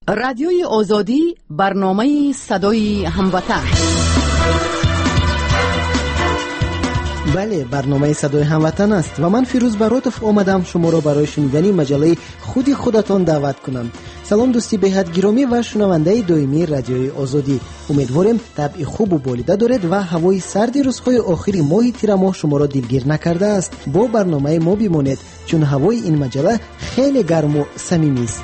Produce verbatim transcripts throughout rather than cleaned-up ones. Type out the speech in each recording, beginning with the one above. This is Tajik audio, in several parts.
Радиои Озодӣ, барномаи садои ҳамватан. Бале, барномаи садои ҳамватан аст ва ман Фирӯз Баротов омадам шуморо барои шунидани маҷаллаи худи худатон даъват кунам. Салом дӯсти беҳад гиромӣ ва шунавандаи доимии Радиои Озодӣ. Умедворем табъи хубу болида доред ва ҳавои сарди рӯзҳои охири моҳи тирамоҳ шуморо дилгир накардааст. Бо барномаи мо бимонед, чун ҳавои ин маҷалла хеле гарму самимист.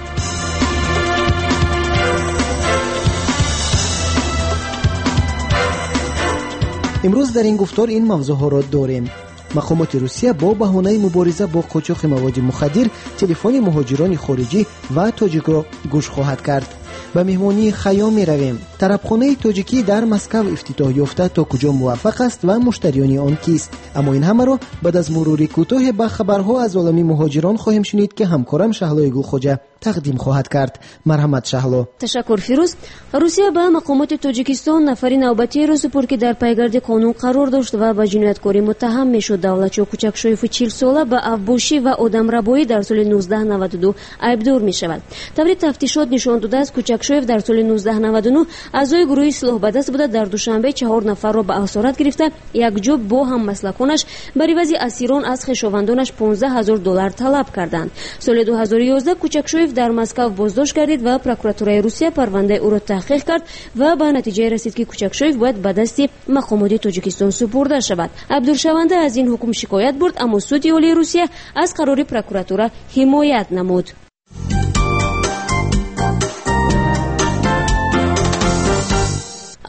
Имрӯз дар ин гуфтор ин мавзӯъҳоро дорем. Мақомоти Русия бо баҳонаи мубориза бо қочоқи маводи мухаддир телефони муҳоҷирони хориҷӣ ва тоҷикро гӯш хоҳад кард. Ба меҳмонии Хайём меравем. Тарабхонаи тоҷикӣ дар Москав ифтитоҳ ёфта то куҷо муваффақ аст ва муштариёни он кист. Аммо ин ҳамаро баъд аз мурури кӯтоҳе ба хабарҳо аз олами муҳоҷирон хоҳем шунид, ки ҳамкорам Шаҳлои Гулхоҷа тақдим хоҳад кард. Марҳамат, Шаҳло. Ташаккур, Фирӯз. Русия ба мақомоти Тоҷикистон нафари навбатиеро супурд, ки дар пайгарди қонун қарор дошт ва ба ҷинояткорӣ муттаҳам мешуд. Давлатшо Кучакшоеву чилсола ба авбошӣ ва одамрабоӣ дар соли нуздаҳ наваду ду айбдор мешавад. Таври тафтишот нишон додааст, Кучакшоев дар соли нуздаҳ наваду нӯҳ аъзои гурӯҳи силоҳбадаст буда, дар Душанбе чаҳор нафарро ба асорат гирифта, якҷо бо ҳаммаслаконаш бар ивази асирон аз хешовандонаш понздаҳ ҳазор доллар талаб карданд. Соли ду ҳазору ёздаҳ Кучакшоев дар Москав боздошт гардид ва прокуратураи Русия парвандаи ӯро таҳқиқ кард ва ба натиҷае расид, ки Кучакшоев бояд ба дасти мақомоти Тоҷикистон супурда шавад. Айбдоршаванда аз ин ҳукм шикоят бурд, аммо суди олии Русия аз қарори прокуратура ҳимоят намуд.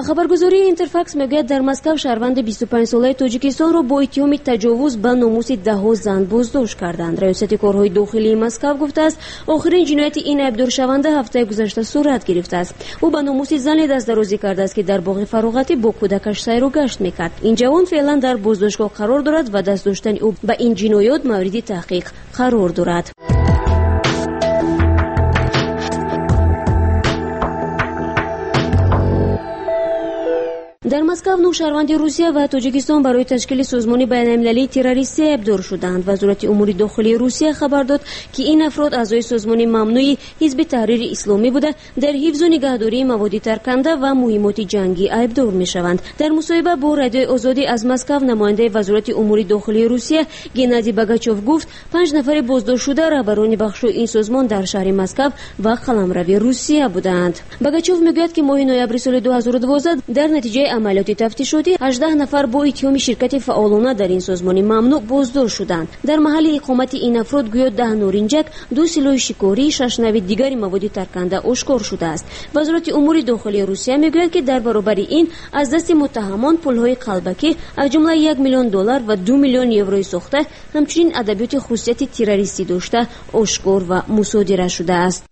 Хабаргузории Интерфакс мегӯяд, дар Москав шаҳрванди бисту панҷсолаи Тоҷикистонро бо иттиҳоми таҷовуз ба номуси даҳҳо зан боздошт карданд. Раёсати корҳои дохилии Москав гуфтааст, охирин ҷинояти ин айбдоршаванда ҳафтаи гузашта сурат гирифтааст. Ӯ ба номуси зане дастдарозӣ кардааст, ки дар боғи фароғатӣ бо кӯдакаш сайру гашт мекард. Ин ҷавон феълан дар боздоштгоҳ қарор дорад ва даст доштани ӯ ба ин ҷиноят мавриди таҳқиқ қарор дорад. Дар Москав нӯҳ шаҳрванди Русия ва Тоҷикистон барои ташкили созмони байналмилалии террористӣ айбдор шуданд. Вазорати умури дохилии Русия хабар дод, ки ин афрод аъзои созмони мамнӯи Ҳизби Таҳрири Исломӣ буда, дар ҳифзу нигаҳдории маводи тарканда ва муҳимоти ҷангӣ айбдор мешаванд. Дар мусоҳиба бо Радиои Озодӣ аз Москав намояндаи Вазорати умури дохилии Русия Геннадий Богачев гуфт, панҷ нафари боздоштшуда раҳбарони бахшҳои ин созмон дар шаҳри Москав ва қаламрави Русия буданд. Богачев мегӯяд, ки моҳи ноябри соли ду ҳазору дувоздаҳ дар натиҷаи амалиёти тафтишотӣ ҳаждаҳ нафар бо иттиҳоми ширкати фаъолона дар ин созмони мамнӯъ боздошт шуданд. Дар маҳалли иқомати ин афрод гӯё даҳ норинҷак, ду силоҳи шикорӣ, шаш нави дигари маводи тарканда ошкор шудааст. Вазорати умури дохилии Русия мегӯяд, ки дар баробари ин аз дасти муттаҳамон пулҳои қалбакӣ аз ҷумла як миллион доллар ва ду миллион еврои сохта, ҳамчунин адабиёти хусусияти террористӣ дошта ошкор ва мусодира шудааст.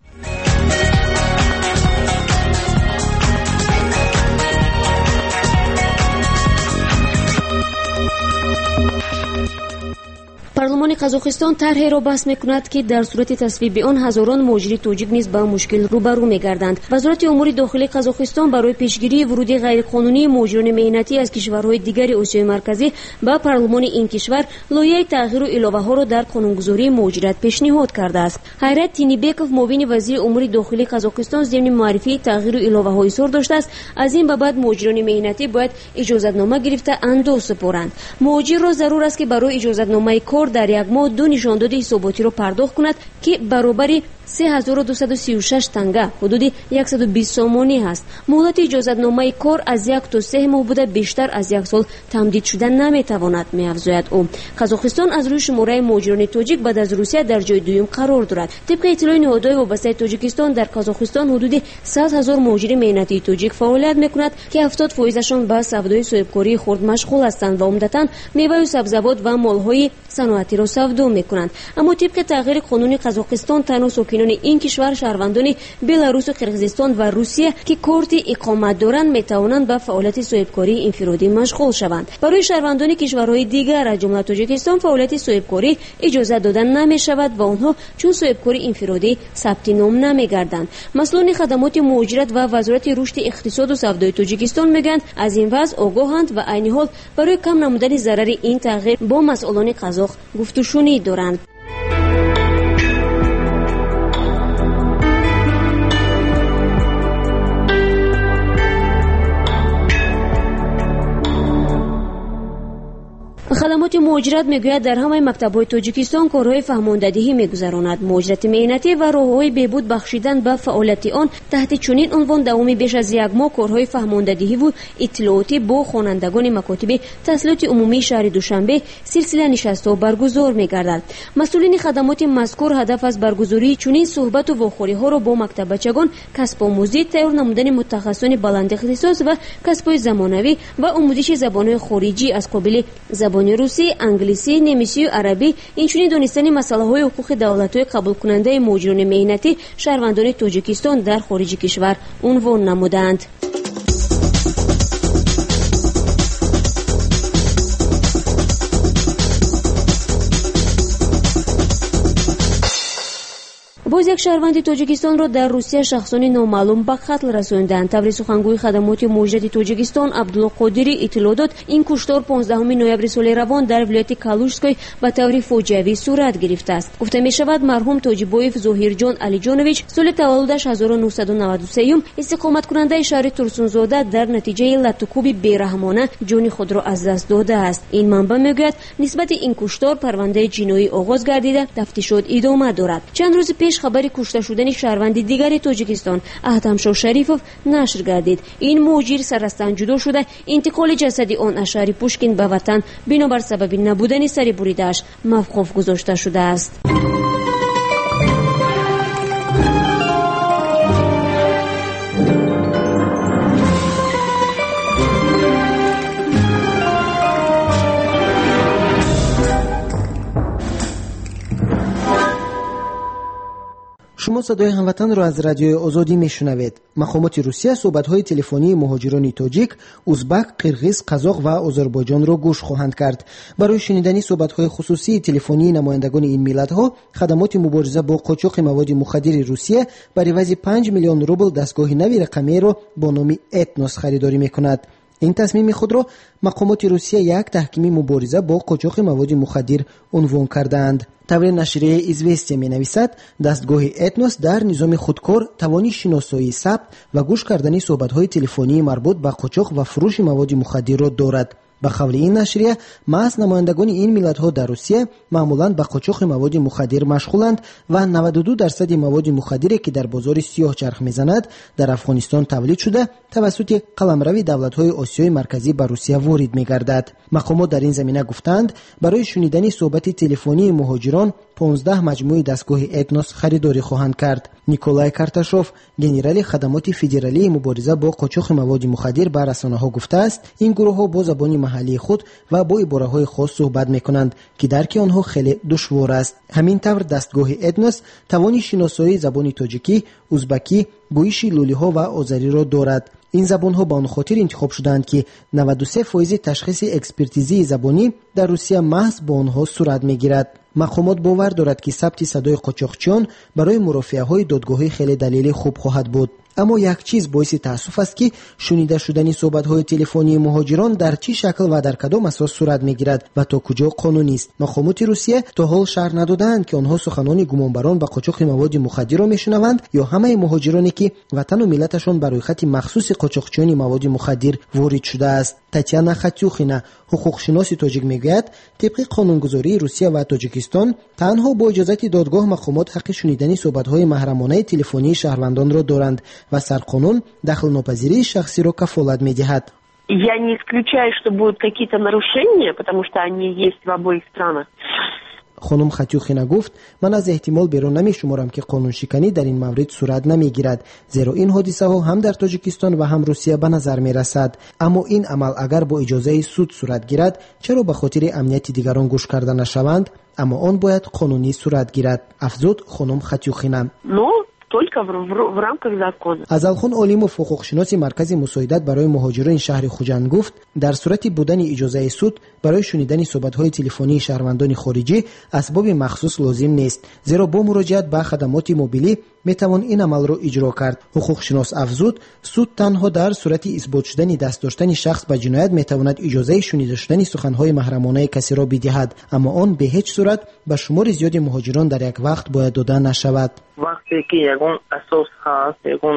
Парлумони Қазоқистон тарҳеро баҳс мекунад, ки дар сурати тасвиби он ҳазорон муҳоҷири тоҷик низ ба мушкил рӯбарӯ мегарданд. Вазорати умури дохилии Қазоқистон барои пешгирии вуруди ғайриқонунии муҳоҷирони меҳнатӣ аз кишварҳои дигари Осиёи Марказӣ ба парлумони ин кишвар лоиҳаи тағйиру иловаҳоро дар қонунгузории муҳоҷират пешниҳод кардааст. Ҳайрат Тинибеков, муовини вазири умури дохилии Қазоқистон, зимни муаррифии тағйиру иловаҳо изҳор доштааст, аз ин ба баъд муҳоҷирони меҳнатӣ бояд иҷозатнома гирифта андоз супоранд. Муҳоҷирро зарур аст, ки барои иҷозатномаи кор дар як моҳ ду нишондоди ҳисоботиро пардохт кунад, ки баробари се ҳазору дусаду сию шаш танга, ҳудуди яксаду бист сомонӣ ҳаст. Муҳлати иҷозатномаи кор аз як то се моҳ буда, бештар аз як сол тамдид шуда наметавонад, меафзояд ӯ. Қазоқистон аз рӯи шумораи муҳоҷирони тоҷик баъд аз Русия дар ҷои дуюм қарор дорад. Тибқи иттилои ниҳодҳои вобастаи Тоҷикистон, дар Қазоқистон ҳудуди сад ҳазор муҳоҷири меҳнатии тоҷик фаъолият мекунад, ки ҳафтод фоизашон ба савдои соҳибкории хурд машғул ҳастанд ва умдатан меваю сабзавот ва молҳои саноатиро савдо мекунанд. Аммо тибқи тағйири қонуни Қазоқистон танҳо сокинони ин кишвар, шаҳрвандони Беларусу Қирғизистон ва Русия, ки корти иқомат доранд, метавонанд ба фаъолияти соҳибкории инфиродӣ машғул шаванд. Барои шаҳрвандони кишварҳои дигар, аз ҷумла Тоҷикистон, фаъолияти соҳибкорӣ иҷозат дода намешавад ва онҳо чун соҳибкори инфиродӣ сабти ном намегарданд. Масъулони хадамоти муҳоҷират ва Вазорати рушди иқтисоду савдои Тоҷикистон мегӯянд, аз ин вазъ огоҳанд ва айни ҳол барои кам намудани зарари ин тағйир бо масъулони қазоқ гуфтушунид доранд. муҳоҷират мегӯяд, дар ҳамаи мактабҳои Тоҷикистон корҳои фаҳмондадиҳӣ мегузаронад. Муҳоҷирати меҳнатӣ ва роҳҳои беҳбуд бахшидан ба фаъолияти он таҳти чунин унвон давоми беш аз як моҳ корҳои фаҳмондадиҳиву иттилоотӣ бо хонандагони макотиби таҳсилоти умумии шаҳри Душанбе силсила нишастҳо баргузор мегардад. Масъулини хадамоти мазкур ҳадаф аз баргузории чунин суҳбату вохӯриҳоро бо мактаббачагон касбомӯзӣ, тайёр намудани мутахассисони баландихтисос ва касбҳои замонавӣ ва омӯзиши забонҳои хориҷӣ аз қобили забони русӣ, англисӣ, немисию арабӣ, инчунин донистани масъалаҳои ҳуқуқи давлатҳои қабулкунандаи муҳоҷирони меҳнатӣ шаҳрвандони Тоҷикистон дар хориҷи кишвар унвон намуданд. Боз як шаҳрванди Тоҷикистонро дар Русия шахсони номаълум ба қатл расонданд. Таври сухангӯи хадамоти муҳоҷирати Тоҷикистон Абдулло Қодирӣ иттилоъ дод, ин куштор понздаҳуми ноябри соли равон дар вилояти Калужской ба таври фоҷиавӣ сурат гирифтааст. Гуфта мешавад, марҳум Тоҷибоев Зоҳирҷон Алиҷонович соли таваллудаш ҳазору нӯҳсаду наваду сеюм истиқоматкунандаи шаҳри Турсунзода дар натиҷаи латтукӯби бераҳмона ҷони худро аз даст додааст. Ин манбаъ мегӯяд, нисбати ин куштор парвандаи ҷиноӣ оғоз гардида, тафтишот идома дорад. Чанд рӯзи пеш хабари кушта шудани шаҳрванди дигари Тоҷикистон Аҳтамшо Шарифов нашр гардид. Ин муҳоҷир саррастан ҷудо шуда, интиқоли ҷасади он аз шаҳри Пушкин ба ватан бинобар сабаби набудани сари буридааш мавқуф гузошта шудааст. Шумо садои ҳамватанро аз радиои Озодӣ мешунавед. Мақомоти Русия суҳбатҳои телефонии муҳоҷирони тоҷик, узбак, қирғиз, қазоқ ва озарбойҷонро гӯш хоҳанд кард. Барои шунидани суҳбатҳои хусусии телефонии намояндагони ин миллатҳо, хадамоти мубориза бо қочоқи маводи мухаддири Русия бар ивази панҷ миллион рубл дастгоҳи нави рақамиеро бо номи Этнос харидорӣ мекунад. Ин тасмими худро мақомоти Русия як таҳкими мубориза бо қочоқи маводи мухаддир унвон кардаанд. Таври нашрияи «Известия» менависад, дастгоҳи Этнос дар низоми худкор тавони шиносоӣ, сабт ва гӯш кардани суҳбатҳои телефонии марбут ба қочоқ ва фурӯши маводи мухаддирро дорад. Ба қавли ин нашрия, маҳз намояндагони ин миллатҳо дар Русия маъмулан ба қочоқи маводи мухаддир машғуланд ва наваду ду дарсади маводи мухаддире, ки дар бозори сиёҳ чарх мезанад, дар Афғонистон тавлид шуда, тавассути қаламрави давлатҳои Осиёи Марказӣ ба Русия ворид мегардад. Мақомот дар ин замина гуфтаанд, барои шунидани суҳбати телефонии муҳоҷирон понздаҳ маҷмӯи дастгоҳи Этнос харидорӣ хоҳанд кард. Николай Карташов, генерали хадамоти федералии мубориза бо қочоқи маводи мухаддир, ба расонаҳо гуфтааст, ин гурӯҳҳо бо забони маҳаллии худ ва бо ибораҳои хос суҳбат мекунанд, ки дарки онҳо хеле душвор аст. Ҳамин тавр дастгоҳи Этнос тавони шиносоии забони тоҷикӣ, узбакӣ, гӯйиши лулиҳо ва озариро дорад. Ин забонҳо ба он хотир интихоб шудаанд, ки наваду се фоизи ташхиси экспертизии забонӣ дар Русия маҳз бо онҳо сурат мегирад. Мақомот бовар дорад, ки сабти садои қочоқчиён барои мурофиаҳои додгоҳӣ хеле далели хуб хоҳад буд. Аммо як чиз боиси таассуф аст, ки шунида шудани суҳбатҳои телефонии муҳоҷирон дар чӣ шакл ва дар кадом асос сурат мегирад ва то куҷо қонунист. Мақомоти Русия то ҳол шарҳ надодаанд, ки онҳо суханони гумонбарон ба қочоқи маводи мухаддирро мешунаванд ё ҳамаи муҳоҷироне, ки ватану миллаташон ба рӯйхати махсуси қочоқчиёни маводи мухаддир ворид шудааст. Татьяна Хатюхина, ҳуқуқшиноси тоҷик, мегӯяд, тибқи қонунгузории Русия ва Тоҷикистон танҳо бо иҷозати додгоҳ мақомот ҳаққи шунидани суҳбатҳои маҳрамонаи телефонии шаҳрвандонро доранд ва сарқонун дахлнопазирии шахсиро кафолат медиҳад. Я не исключаю, что будут какие-то нарушения, потому что они есть в обоих странах. Хонум Хатюхина гуфт, ман аз эҳтимол берун намешуморам, ки қонуншиканӣ дар ин маврид сурат намегирад, зеро ин ҳодисаҳо ҳам дар Тоҷикистон ва ҳам Русия ба назар мерасад. Аммо ин амал агар бо иҷозаи суд сурат гирад, чаро ба хотири амнияти дигарон гӯш карда нашаванд? Аммо он бояд қонунӣ сурат гирад, афзуд хонум Хатюхина. Только в, в, в рамках закона. Азалхон Олимов, ҳуқуқшиноси Маркази мусоидат барои муҳоҷирони шаҳри Хуҷанд, гуфт, дар сурати будани иҷозаи суд барои шунидани суҳбатҳои телефонии шаҳрвандони хориҷӣ асбоби махсус лозим нест, зеро бо муроҷиат ба хадамоти мобилӣ метавон ин амалро иҷро кард. Ҳуқуқшинос афзуд, суд танҳо дар сурати исбот шудани даст доштани шахс ба ҷиноят метавонад иҷозаи шунида шудани суханҳои маҳрамонаи касеро бидиҳад, аммо он бе ҳеҷ сурат ба шумори зиёди муҳоҷирон дар як вақт бояд дода нашавад. Вақте ки ягон асос ҳаст, ягон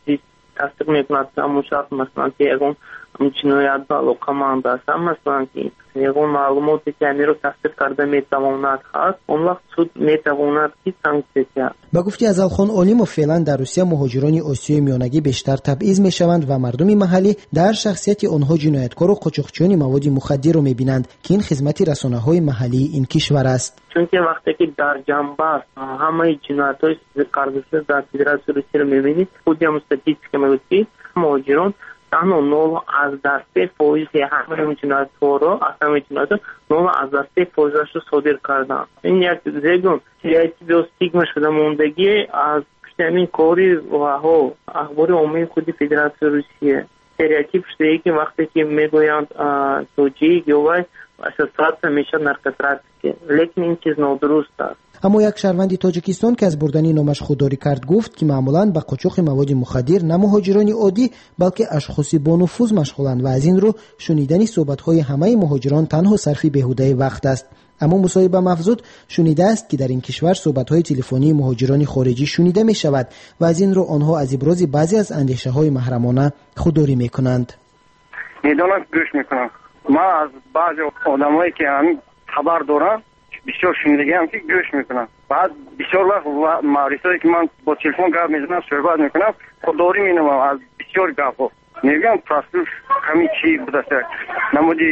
чиз тасдиқ мекунад, ҳамон шахс, масалан, ки ягон ҷиноят ба алоқаманд аст, масалан ки ягон маълумоте ки амиро тасдиқ карда метавонад ҳаст, он вақт суд метавонад ки санксия диҳад. Ба гуфти Азалхон Олимов, феълан дар Русия муҳоҷирони Осиёи Миёнагӣ бештар табъиз мешаванд ва мардуми маҳаллӣ дар шахсияти онҳо ҷинояткору қочоқчиёни маводи мухаддирро мебинанд, ки ин хизмати расонаҳои маҳаллии ин кишвар аст. Чунки вақте ки дар ҷанбаст ҳамаи ҷиноятҳои кардашуда дар Федератсияи Русияро мебинед, худи ҳам статистика мегӯяд, ки муҳоҷирон танҳо нол аз даҳ се фоизи ҳамаи ҷиноятҳоро, аз ҳамаи ҷиноятҳо нол аз даҳ се фоизашро содир карданд. Ин як зегун стереотип ё стигма шуда мондагӣ аз пушти ҳамин кори ваҳо ахбори оммаи худи Федератсияи Русия. Стереотип шудае ки вақте ки мегӯянд тоҷик ё вай ассоциатсия мешавад наркотрафике, лекин ин чиз нодуруст аст. Аммо як шаҳрванди Тоҷикистон, ки аз бурдани номаш худдорӣ кард, гуфт, ки маъмулан ба қочоқи маводи мухаддир на муҳоҷирони оддӣ, балки ашхоси бонуфуз машғуланд ва аз ин рӯ шунидани суҳбатҳои ҳамаи муҳоҷирон танҳо сарфи беҳудаи вақт аст. Аммо мусоҳиба мафзуд шунидааст, ки дар ин кишвар суҳбатҳои телефонии муҳоҷирони хориҷӣ шунида мешавад ва аз ин рӯ онҳо аз ибрози баъзе аз андешаҳои маҳрамона худдорӣ мекунанд. Медонам, гӯш мекунам. Ман аз баъзе одамое ки ҳамин хабар дорам, бисёр шунидагиам, ки гӯш мекунам. Баъд бисёр вақт маврисое ки ман бо телефон гап мезанам, суҳбат мекунам, худдорӣ менамоям аз бисёр гапҳо. Мегӯям прослуш ҳамин чи будааст, намуди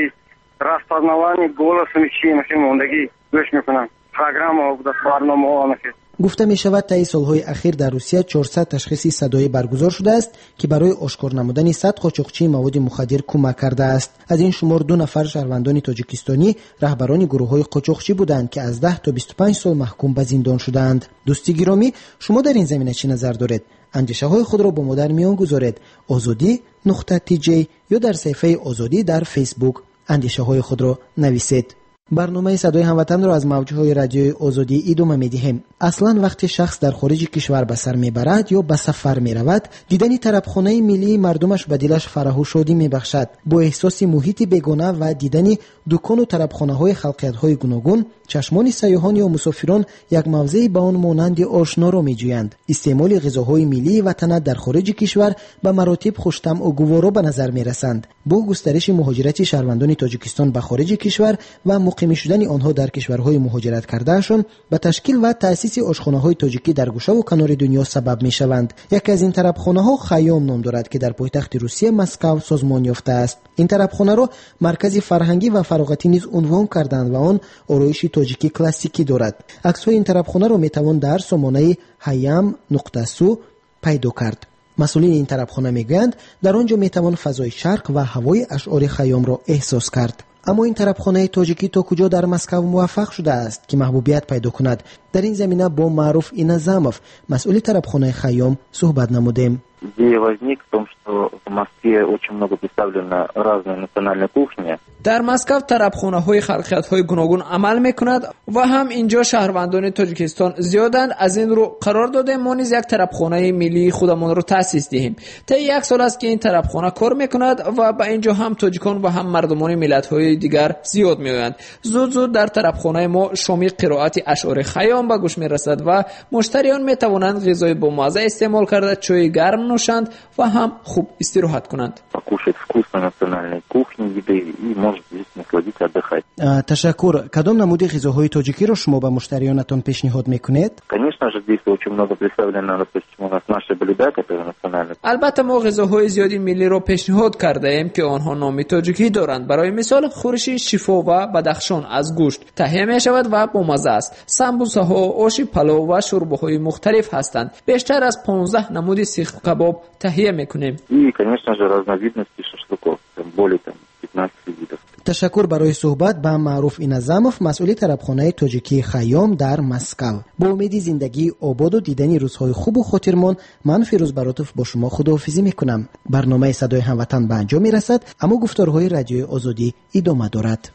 распознавание голосом чи махи мондагӣ гӯш мекунам, программаҳо будааст, барномаҳо махи. Гуфта мешавад, таи солҳои ахир дар Русия чорсад ташхиси садоӣ баргузор шудааст, ки барои ошкор намудани сад қочоқчии маводи мухаддир кӯмак кардааст. Аз ин шумор ду нафар шаҳрвандони тоҷикистонӣ раҳбарони гурӯҳҳои қочоқчӣ буданд, ки аз даҳ то бисту панҷ сол маҳкум ба зиндон шудаанд. Дӯсти гиромӣ, шумо дар ин замина чӣ назар доред? Андешаҳои худро бо мо дар миён гузоред. Озодӣ нуқта тж ё дар саҳифаи Озодӣ дар Фейсбук андешаҳои худро нависед. Барномаи садои ҳамватанро аз мавҷҳои радиои Озодӣ идома медиҳем. Аслан вақте шахс дар хориҷи кишвар ба сар мебарад ё ба сафар меравад, дидани тарабхонаи миллии мардумаш ба дилаш фараҳу шодӣ мебахшад. Бо эҳсоси муҳити бегона ва дидани дукону тарабхонаҳои халқиятҳои гуногун, чашмони сайёҳон ё мусофирон як мавзеи ба он монанди ошноро меҷӯянд. Истеъмоли ғизоҳои миллии ватанат дар хориҷи кишвар ба маротиб хуштамъу гуворо ба назар мерасанд. Бо густариши муҳоҷирати шаҳрвандони Тоҷикистон ба хориҷи кишвар ва муқимӣ шудани онҳо дар кишварҳои муҳоҷират кардаашон ба ташкил ва таъсиси ошхонаҳои тоҷикӣ дар гӯшаву канори дунё сабаб мешаванд. Яке аз ин тарабхонаҳо Хайём ном дорад, ки дар пойтахти Русия Москав созмон ёфтааст. Ин тарабхонаро маркази фарҳангӣ ва фароғатӣ низ унвон карданд ва он ороиши тоҷикӣ классикӣ дорад. Аксҳои ин тарабхонаро метавон дар сомонаи ҳаям нуқта су пайдо кард. Масъулини ин тарабхона мегӯянд, дар он ҷо метавон фазои шарқ ва ҳавои ашъори Хайёмро эҳсос кард. Аммо ин тарабхонаи тоҷикӣ то куҷо дар Москав муваффақ шудааст, ки маҳбубият пайдо кунад? Дар ин замина бо Маъруф Иназамов, масъули тарабхонаи Хайём, суҳбат намудем. Идея возникла в том, что в Москве очень много представлено разной национальной кухни. Дар Москав тарабхонаҳои халқиятҳои гуногун амал мекунад ва ҳам инҷо шаҳрвандони Тоҷикистон зиёданд. Аз ин рӯ қарор додем мо низ як тарабхонаи миллии худамонро таъсис диҳем. Таи як сол аст, ки ин тарабхона кор мекунад ва ба инҷо ҳам тоҷикон ва ҳам мардумони миллатҳои дигар зиёд меоянд. Зуд-зуд дар тарабхонаи мо шоми қироати ашъори Хайём ба гӯш мерасад ва муштариён метавонанд ғизои бомазза истеъмол карда, чойи гарм нӯшанд ва ҳам хуб истироҳат кунанд. Покушать вкусной национальной кухни, еды и может здесь насладиться, отдыхать. Ташаккур. Кадом намуди ғизоҳои тоҷикиро шумо ба муштариёнатон пешниҳод мекунед? Конечно же, здесь очень много представлено, допустим, у нас наши блюда, которые национальные. Албатта, мо ғизоҳои зиёди миллиро пешниҳод кардаем, ки онҳо номи тоҷикӣ доранд. Барои мисол, хӯриши шифо ва бадахшон аз гӯшт таҳия мешавад ва бомазза аст. Самбусаҳо, оши палов ва шӯрбоҳои мухталиф ҳастанд. Бештар аз понздаҳ намуди сихкабоб таҳия мекунем. И, конечно же, разновидности шашлыков, там, более там, пятнадцати видов. Ташаккур барои суҳбат ба Маъруф Иназамов, масъули тарабхонаи тоҷикии Хайём дар Москав. Бо умеди зиндагии ободу дидани рӯзҳои хубу хотирмон, ман Фирӯз Баротов бо шумо худоҳофизӣ мекунам. Барномаи садои ҳамватан ба анҷом мерасад, аммо гуфторҳои радиои Озодӣ идома дорад.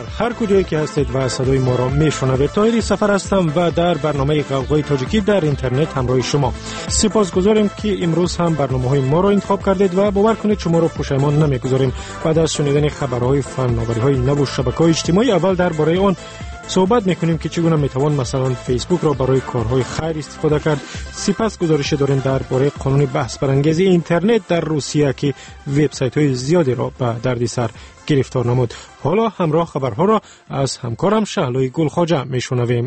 Дар ҳар куҷое ки ҳастед ва садои моро мешунавед. Тоҳири Сафар ҳастам ва дар барномаи Ғавғои тоҷикӣ дар интернет ҳамроҳи шумо. Сипосгузорем, ки имрӯз ҳам барномаҳои моро интихоб кардед ва бовар кунед, шуморо пушаймон намегузорем. Баъд аз шунидани хабарҳои фанновариҳои наву шабакаҳои иҷтимоӣ, аввал дар бораи он суҳбат мекунем, ки чӣ гуна метавон масалан Фейсбукро барои корҳои хайр истифода кард. Сипас гузорише дорем дар бораи қонуни баҳсбарангези интернет дар Русия, ки вебсайтҳои зиёдеро ба дарди сар гирифтор намуд. Ҳоло ҳамроҳ хабарҳоро аз ҳамкорам Шаҳлои Гулхоҷа мешунавем.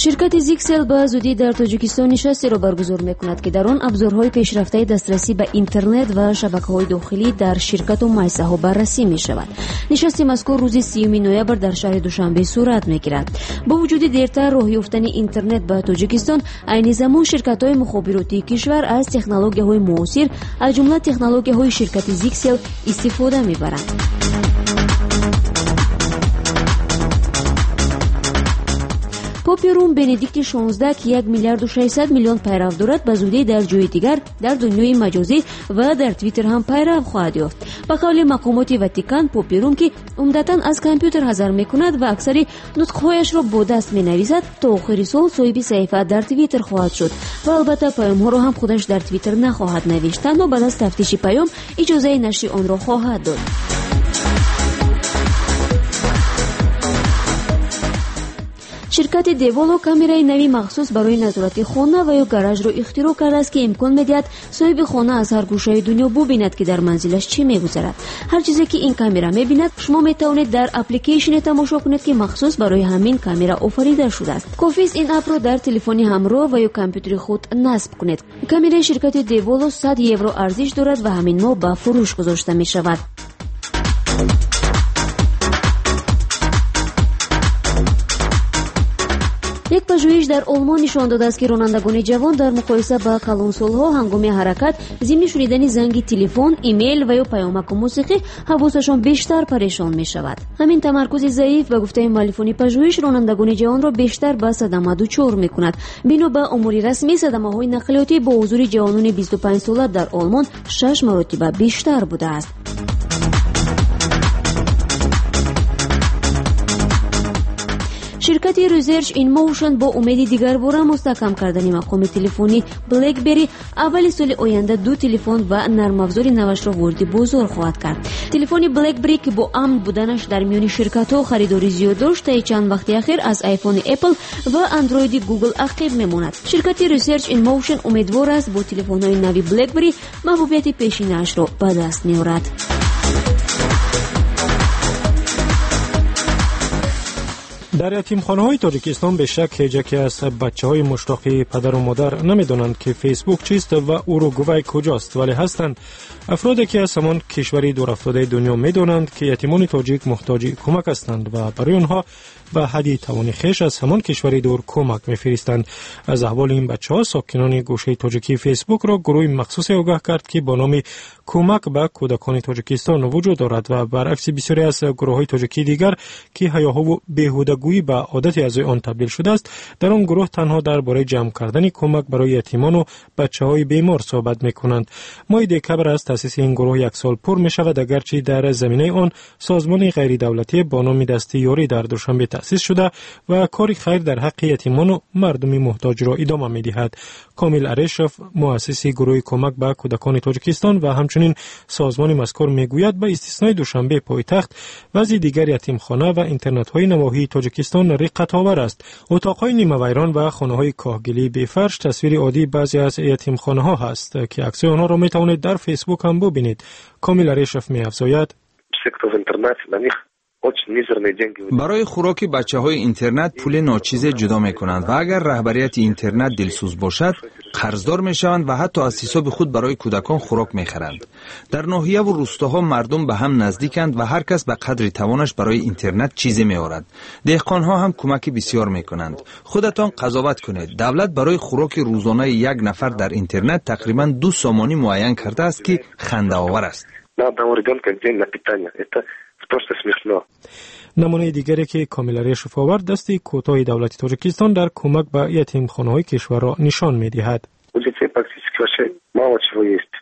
Ширкати Zyxel ба зудӣ дар Тоҷикистон нишастеро баргузор мекунад, ки дар он абзорҳои пешрафтаи дастрасӣ ба интернет ва шабакаҳои дохилӣ дар ширкату муассисаҳо баррасӣ мешавад. Нишасти мазкур рӯзи сиюми ноябр дар шаҳри Душанбе сурат мегирад. Бо вуҷуди дертар роҳ ёфтани интернет ба Тоҷикистон, айни замон ширкатҳои мухобиротии кишвар аз технологияҳои муосир, аз ҷумла технологияҳои ширкати Zyxel истифода мебаранд. Попи Рум Бенедикти шонздаҳ, ки як миллиарду шашсад миллион пайрав дорад, ба зудӣ дар ҷои дигар дар дунёи маҷозӣ ва дар Твиттер ҳам пайрав хоҳад ёфт. Ба қавли мақомоти Ватикан, Попи Рум, ки умдатан аз компютер ҳазар мекунад ва аксари нутқҳояшро бо даст менависад, то охири сол соҳиби саҳифа дар Твиттер хоҳад шуд ва албатта паёмҳоро ҳам худаш дар Твиттер нахоҳад навишт, танҳо баъд аз тафтиши паём иҷозаи нашри онро хоҳад дод. Ширкати Деволо камераи нави махсус барои назорати хона ва ё гаражро ихтироъ кардааст, ки имкон медиҳад соҳиби хона аз ҳар гӯшаи дунё бубинад, ки дар манзилаш чӣ мегузарад. Ҳар чизе ки ин камера мебинад, шумо метавонед дар аппликейшне тамошо кунед, ки махсус барои ҳамин камера офарида шудааст. Кофист ин аппро дар телефони ҳамроҳ ва ё компютери худ насб кунед. Камераи ширкати Деволо сад евро арзиш дорад ва ҳамин моҳ ба фурӯш гузошта мешавад. Як пажӯҳиш дар Олмон нишон додааст, ки ронандагони ҷавон дар муқоиса ба калонсолҳо ҳангоми ҳаракат зимни шунидани занги телефон, имейл ва ё паёмаку мусиқӣ ҳавосашон бештар парешон мешавад. Ҳамин тамаркузи заиф, ба гуфтаи муаллифони пажӯҳиш, ронандагони ҷавонро бештар ба садама дучор мекунад. Бино ба омори расмӣ, садамаҳои нақлиётӣ бо ҳузури ҷавонони бисту панҷ сола дар Олмон шаш маротиба бештар будааст. Ширкати Research in Motion бо умеди дигарбора мустаҳкам кардани мақоми телефони BlackBerry аввали соли оянда ду телефон ва нармафзори навашро вориди бозор хоҳад кард. Телефони BlackBerry, ки бо амн буданаш дар миёни ширкатҳо харидорӣ зиёд дошт, таи чанд вақти ахир аз iPhone Apple ва Android Google ақиб мемонад. Ширкати Research in Motion умедвор аст, бо телефонҳои нави BlackBerry маҳбубияти пешинаашро ба даст меорад. Дар ятимхонаҳои Тоҷикистон бешак ҳеҷ яке аз бачаҳои муштоқи падару модар намедонанд, ки Фейсбук чист ва Уругвай куҷост, вале ҳастанд афроде, ки аз ҳамон кишвари дурафтодаи дунё медонанд, ки ятимони тоҷик муҳтоҷи кӯмак ҳастанд ва барои онҳо ба ҳадди тавони хеш аз ҳамон кишвари дур кӯмак мефиристанд. Аз аҳволи ин бачаҳо сокинони гӯшаи тоҷикии Фейсбукро гурӯҳи махсусе огаҳ кард, ки бо номи кӯмак ба кӯдакони Тоҷикистон вуҷуд дорад ва баръакси бисёре аз гурӯҳҳои тоҷикии дигар, ки ҳаёҳову беҳудагӯӣ ба одати аъзои он табдил шудааст, дар он гурӯҳ танҳо дар бораи ҷамъ кардани кӯмак барои ятимону бачаҳои бемор суҳбат мекунанд. Моҳи декабр аз таъсиси ин гурӯҳ як сол пур мешавад, агарчи дар заминаи он созмони ғайридавлатӣ бо номи Дасти ёрӣ дар Душанбе таъсис шуда ва кори хайр дар ҳаққи ятимону мардуми муҳтоҷро идома медиҳад. Комил Арешов, муассиси гурӯҳи кӯмак ба кӯдакони Тоҷикистон ва ҳамчунин созмони мазкур, мегӯяд ба истиснои Душанбе пойтахт вазъи дигар ятимхона ва интернатҳои навоҳии Тоҷикистон риққатовар аст. Утоқҳои нимавайрон ва хонаҳои коҳгилии бефарш тасвири оддии баъзе аз ятимхонаҳо ҳаст, ки аксҳои онҳоро метавонед дар Фейсбук ҳам бубинед. Комил Арешов меафзояд: Барои хӯроки бачаҳои интернат пули ночизе ҷудо мекунанд ва агар раҳбарияти интернат дилсӯз бошад, қарздор мешаванд ва ҳатто аз ҳисоби худ барои кӯдакон хӯрок мехаранд. Дар ноҳияву рӯстоҳо мардум ба ҳам наздиканд ва ҳар кас ба қадри тавонаш барои интернат чизе меорад. Деҳқонҳо ҳам кӯмаки бисёр мекунанд. Худатон қазоват кунед. Давлат барои хӯроки рӯзонаи як нафар дар интернат тақрибан ду сомонӣ муайян кардааст, ки хандаовар аст. Просто смешно. Намунаи дигаре, ки Комил Арешов овард, дасти кӯтоҳи давлати Тоҷикистон дар кӯмак ба ятимхонаҳои кишварро нишон медиҳад. У детей практически вообще Мало чего есть.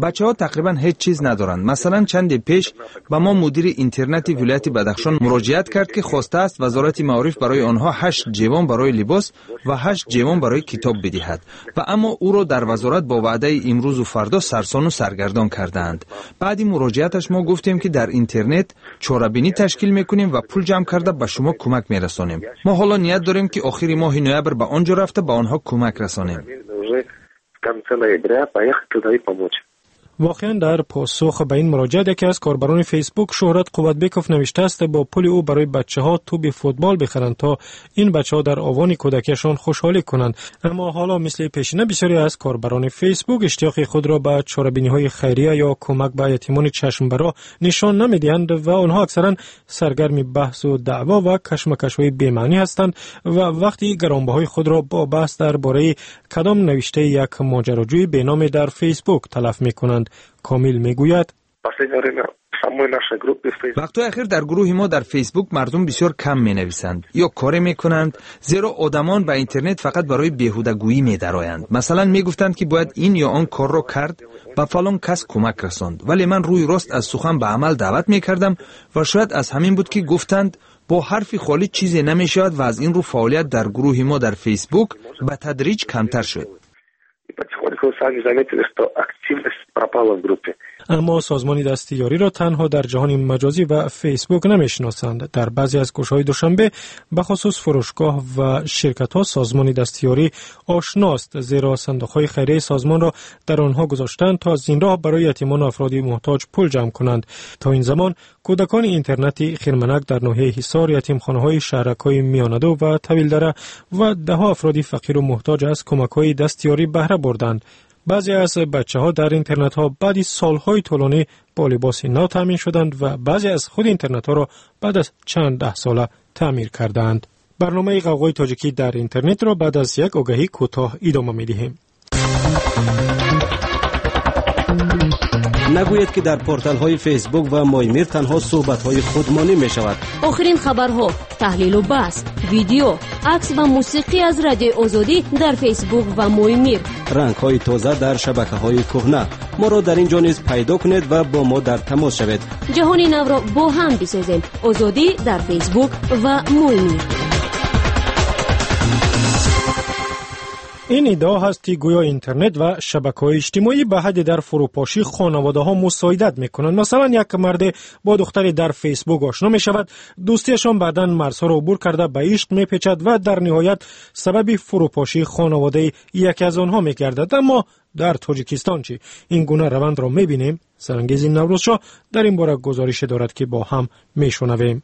Бачаҳо тақрибан ҳеҷ чиз надоранд. Масалан, чанде пеш ба мо мудири интернати вилояти Бадахшон муроҷиат кард, ки хостааст Вазорати маориф барои онҳо ҳашт ҷевон барои либос ва ҳашт ҷевон барои китоб бидиҳад. Ва аммо ӯро дар вазорат бо ваъдаи имрӯзу фардо сарсону саргардон кардаанд. Баъди муроҷиаташ мо гуфтем, ки дар интернет чорабинӣ ташкил мекунем ва пул ҷамъ карда ба шумо кӯмак мерасонем. Мо ҳоло ният дорем, ки охири моҳи ноябр ба он ҷо рафта ба онҳо кӯмак расонем. В конце ноября поехать туда и помочь. Воқеан, дар посух ба ин муроҷиат яке аз корбарони Фейсбук, Шӯҳрат Қувватбеков, навиштааст, бо пули ӯ барои бачаҳо тӯби футбол бихаранд, то ин бачаҳо дар овони кӯдакиашон хушҳолӣ кунанд. Аммо ҳоло мисли пешина бисёре аз корбарони Фейсбук иштиёқи худро ба чорабиниҳои хайрия ё кӯмак ба ятимони чашмбароҳ нишон намедиҳанд ва онҳо аксаран саргарми баҳсу даъво ва кашмакашҳои бемаънӣ ҳастанд ва вақти гаронбаҳои худро бо баҳс дар бораи кадом навиштаи як моҷароҷӯи беноме дар Фейсбук талаф мекунанд. Комил мегӯяд: Вақтҳои ахир дар гурӯҳи мо дар Фейсбук мардум бисёр кам менависанд ё коре мекунанд, зеро одамон ба интернет фақат барои беҳудагӯӣ медароянд. Масалан, мегуфтанд, ки бояд ин ё он корро кард, ба фалон кас кӯмак расонд, вале ман рӯи рост аз сухан ба амал даъват мекардам ва шояд аз ҳамин буд, ки гуфтанд, бо ҳарфи холӣ чизе намешавад ва аз ин рӯ фаъолият дар гурӯҳи мо дар Фейсбук ба тадриҷ камтар шуд. Потихоньку сами заметили, что активность пропала в группе. Аммо созмони дастиёриро танҳо дар ҷаҳони маҷозӣ ва Фейсбук намешиносанд. Дар баъзе аз гӯшаҳои Душанбе, бахусус фурӯшгоҳ ва ширкатҳо, созмони дастиёрӣ ошност, зеро сандуқҳои хайрияи созмонро дар онҳо гузоштанд, то аз ин роҳ барои ятимону афроди муҳтоҷ пул ҷамъ кунанд. То ин замон кӯдакони интернати Хирманак дар ноҳияи Ҳисор, ятимхонаҳои шаҳракҳои Миёнаду ва Тавилдара ва даҳо афроди фақиру муҳтоҷ аз кӯмакҳои дастиёрӣ баҳра бурданд. Баъзе аз бачаҳо дар интернатҳо баъди солҳои тӯлонӣ бо либоси нав таъмин шуданд ва баъзе аз худи интернатҳоро баъд аз чанд даҳсола таъмир кардаанд. Барномаи Ғавғои тоҷикӣ дар интернетро баъд аз як огаҳӣ кӯтоҳ идома медиҳем. Нагӯед, ки дар порталҳои Фейсбук ва Моймир танҳо суҳбатҳои худмонӣ мешавад. Охирин хабарҳо, таҳлилу баҳс, видео, акс ва мусиқӣ аз Радиои Озодӣ дар Фейсбук ва Моймир. Рангҳои тоза дар шабакаҳои кӯҳна. Моро дар ин ҷо низ пайдо кунед ва бо мо дар тамос шавед. Ҷаҳони навро бо ҳам бисозем. Озодӣ дар Фейсбук ва Моймир. Ин иддао ҳаст, ки гӯё интернет ва шабакаҳои иҷтимоӣ ба ҳадди дар фурӯпошии хонаводаҳо мусоидат мекунанд. Масалан, як марде бо духтаре дар Фейсбук ошно мешавад, дӯстиашон баъдан марзҳоро убур карда ба ишқ мепечад ва дар ниҳоят сабаби фурӯпошии хонаводаи яке аз онҳо мегардад. Аммо дар Тоҷикистон чӣ? Ин гуна равандро мебинем? Сарангези Наврӯзшоҳ дар ин бора гузорише дорад, ки бо ҳам мешунавем.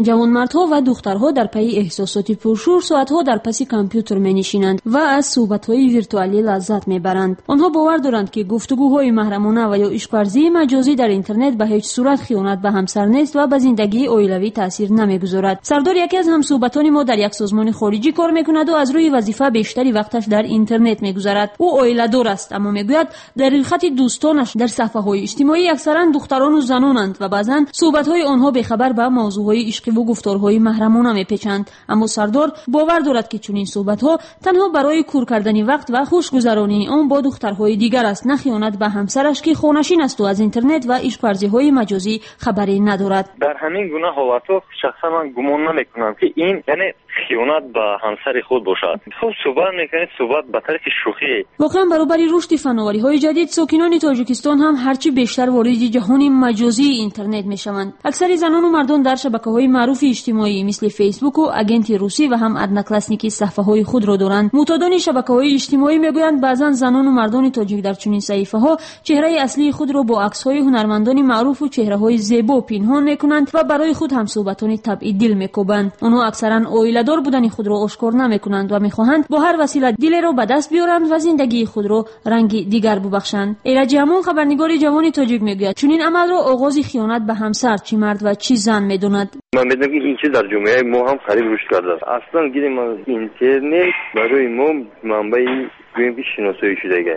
Ҷавонмардҳо ва духтарҳо дар пайи эҳсосоти пуршӯр соатҳо дар паси компютер менишинанд ва аз суҳбатҳои виртуалӣ лаззат мебаранд. Онҳо бовар доранд, ки гуфтугӯҳои маҳрамона ва ё ишқварзии маҷозӣ дар интернет ба ҳеҷ сурат хиёнат ба ҳамсар нест ва ба зиндагии оилавӣ таъсир намегузорад. Сардор яке аз ҳамсуҳбатони мо дар як созмони хориҷӣ кор мекунаду аз рӯи вазифа бештари вақташ дар интернет мегузарад. Ӯ оиладор аст, аммо мегӯяд, дар рӯйхати дӯстонаш дар саҳфаҳои иҷтимоӣ аксаран духтарону занонанд ва баъзан суҳбатҳои онҳо бехабар ба мавзӯъҳои ишқиву гуфторҳои маҳрамона мепечанд. Аммо Сардор бовар дорад, ки чунин суҳбатҳо танҳо барои кур кардани вақт ва хушгузаронии он бо духтарҳои дигар аст, на хиёнат ба ҳамсараш, ки хонашин асту аз интернет ва ишқварзиҳои маҷозӣ хабаре надорад. Дар ҳамин гуна ҳолатҳо шахсан ман гумон намекунам, ки ин яъне хиёнат ба ҳамсари худ бошад. Хуб, суҳбат мекунед, суҳбат ба тариқи шӯхӣ. Воқеан, баробари рушди фановариҳои ҷадид, сокинони Тоҷикистон ҳам ҳарчи бештар вориди ҷаҳони маҷозии интернет мешаванд. Аксари занону мардон дар шабакаҳои маъруфи иҷтимоӣ мисли Фейсбуку Агенти русӣ ва ҳам Одноклассники саҳфаҳои худро доранд. Муътодони шабакаҳои иҷтимоӣ мегӯянд, баъзан занону мардони тоҷик дар чунин саҳифаҳо чеҳраи аслии худро бо аксҳои ҳунармандони маъруфу чеҳраҳои зебо пинҳон мекунанд ва барои худ ҳамсуҳбатони табъи дил мекобанд. Онҳо аксаран оиладор будани худро ошкор намекунанд ва мехоҳанд бо ҳар васила дилеро ба даст биёранд ва зиндагии худро ранги дигар бубахшанд. Эраҷи Ҳамон, хабарнигори ҷавони тоҷик, мегӯяд, чунин амалро оғози хиёнат ба ҳамсар, чӣ мард ва чӣ зан, медонад. Ман медонам, ки ин чиз дар ҷомеаи мо ҳам қариб рушд кардааст. Аслан гирем, интернет барои мо манбаи, гӯем, ки шиносоӣ шудага,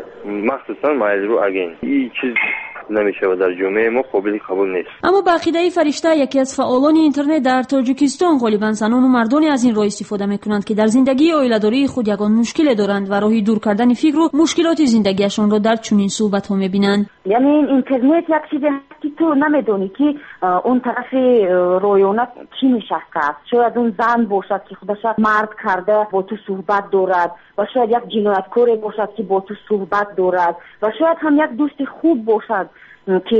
махсусан Mail.ru Агент. Ин чиз намешавад, дар ҷомеаи мо қобили қабул нест. Аммо ба ақидаи Фаришта, яке аз фаъолони интернет дар Тоҷикистон, ғолибан занону мардоне аз ин роҳ истифода мекунанд, ки дар зиндагии оиладории худ ягон мушкиле доранд ва роҳи дур кардани фикру мушкилоти зиндагиашонро дар чунин суҳбатҳо мебинанд. Яъне интернет як чизе ҳаст, ки ту намедонӣ, ки он тарафи ройона кӣ нишастааст. Шояд он зан бошад, ки худаша мард карда бо ту суҳбат дорад, ва шояд як ҷинояткоре бошад, ки бо ту суҳбат дорад, ва шояд ҳам як дӯсти хуб бошад, ки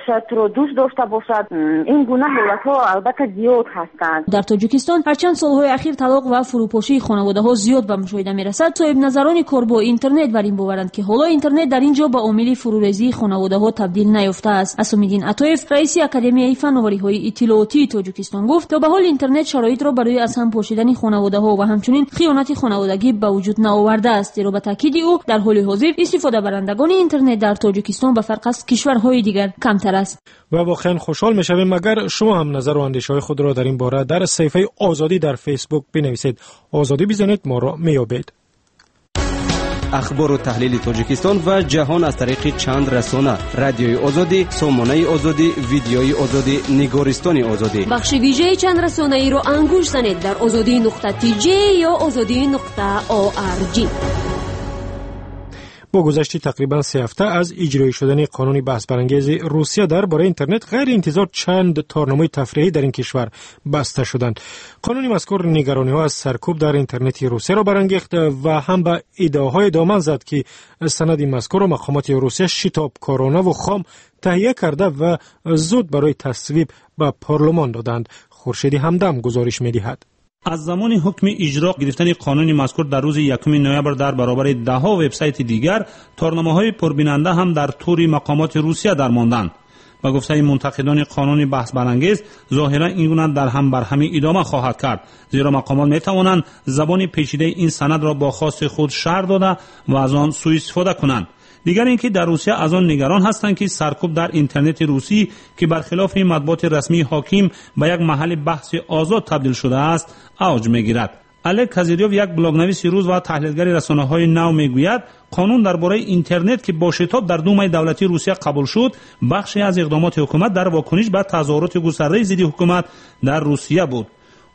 шояд туро дӯст дошта бошад. Ин гуна ҳолатҳо албатта зиёд ҳастанд. Дар Тоҷикистон ҳарчанд солҳои ахир талоқ ва фурӯпошии хонаводаҳо зиёд ба мушоҳида мерасад, соҳибназарони кор бо интернет бар ин боваранд, ки ҳоло интернет дар ин ҷо ба омили фурӯрезии хонаводаҳо табдил наёфтааст. Асомиддин Атоев, раиси Академияи фановариҳои иттилоотии Тоҷикистон, гуфт, то ба ҳол интернет шароитро барои аз ҳам пошидани хонаводаҳо ва ҳамчунин хиёнати хонаводагӣ ба вуҷуд наовардааст, зеро ба таъкиди ӯ дар ҳоли ҳозир истифодабарандагони интернет дар Тоҷикистон ба фарқ аз кишварҳои дигар камтар аст. Ва воқеан хушҳол мешавем, агар шумо ҳам назару андешаҳои худро дар ин бора дар саҳифаи Озодӣ дар Фейсбук бинависед. Озодӣ бизанед, моро меёбед. Ахбору таҳлили Тоҷикистон ва ҷаҳон аз тариқи чанд расона: Радиои Озодӣ, Сомонаи Озодӣ, Видеои Озодӣ, Нигористони Озодӣ. Бахши вижаи чанд расонаиро ангушт занед дар озодӣ нуқта тж ё озодӣ нуқта орг. Бо гузашти тақрибан се ҳафта аз иҷроӣ шудани қонуни баҳсбарангези Русия дар бораи интернет, ғайриинтизор чанд торнамои тафриҳӣ дар ин кишвар баста шуданд. Қонуни мазкур нигарониҳо аз саркӯб дар интернети Русияро барангехт ва ҳам ба иддаоҳое доман зад, ки санади мазкурро мақомоти Русия шитобкоронаву хом таҳия карда ва зуд барои тасвиб ба парлумон доданд. Хуршеди Ҳамдам гузориш медиҳад. Аз замони ҳукми иҷро гирифтани қонуни мазкур дар рӯзи якуми ноябр дар баробари даҳҳо вебсайти дигар, торнамоҳои пурбинанда ҳам дар тури мақомоти Русия дармонданд. Ба гуфтаи мунтақидони қонуни баҳсбарангез, зоҳиран ин гуна дар ҳам барҳамӣ идома хоҳад кард, зеро мақомот метавонанд забони печидаи ин санадро бо хости худ шарҳ дода ва аз он суистифода кунанд. Дигар ин ки дар Русия аз он нигарон ҳастанд, ки саркӯб дар интернети русӣ, ки бархилофи матбуоти расмии ҳоким ба як маҳалли баҳси озод табдил шудааст, авҷ мегирад. Олег Козирёв, як блогнависи рус ва таҳлилгари расонаҳои нав, мегӯяд, қонун дар бораи интернет, ки бо шитоб дар Думаи давлатии Русия қабул шуд, бахше аз иқдомоти ҳукумат дар вокуниш ба тазоҳуроти густардаи зидди ҳукумат дар Русия буд.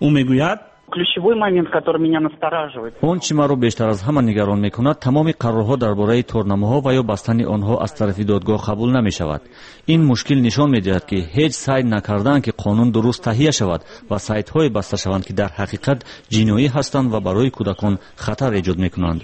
Ӯ мегӯяд: Ключевой момент, который меня настораживает. Он чӣ маро бештар аз ҳама нигарон мекунад, тамоми қарорҳо дар бораи торнамоҳо ва ё бастани онҳо аз тарафи додгоҳ қабул намешавад. Ин мушкил нишон медиҳад, ки ҳеҷ сай накардаанд, ки қонун дуруст таҳия шавад ва сайтҳое баста шаванд, ки дар ҳақиқат ҷиноӣ ҳастанд ва барои кӯдакон хатар эҷод мекунанд.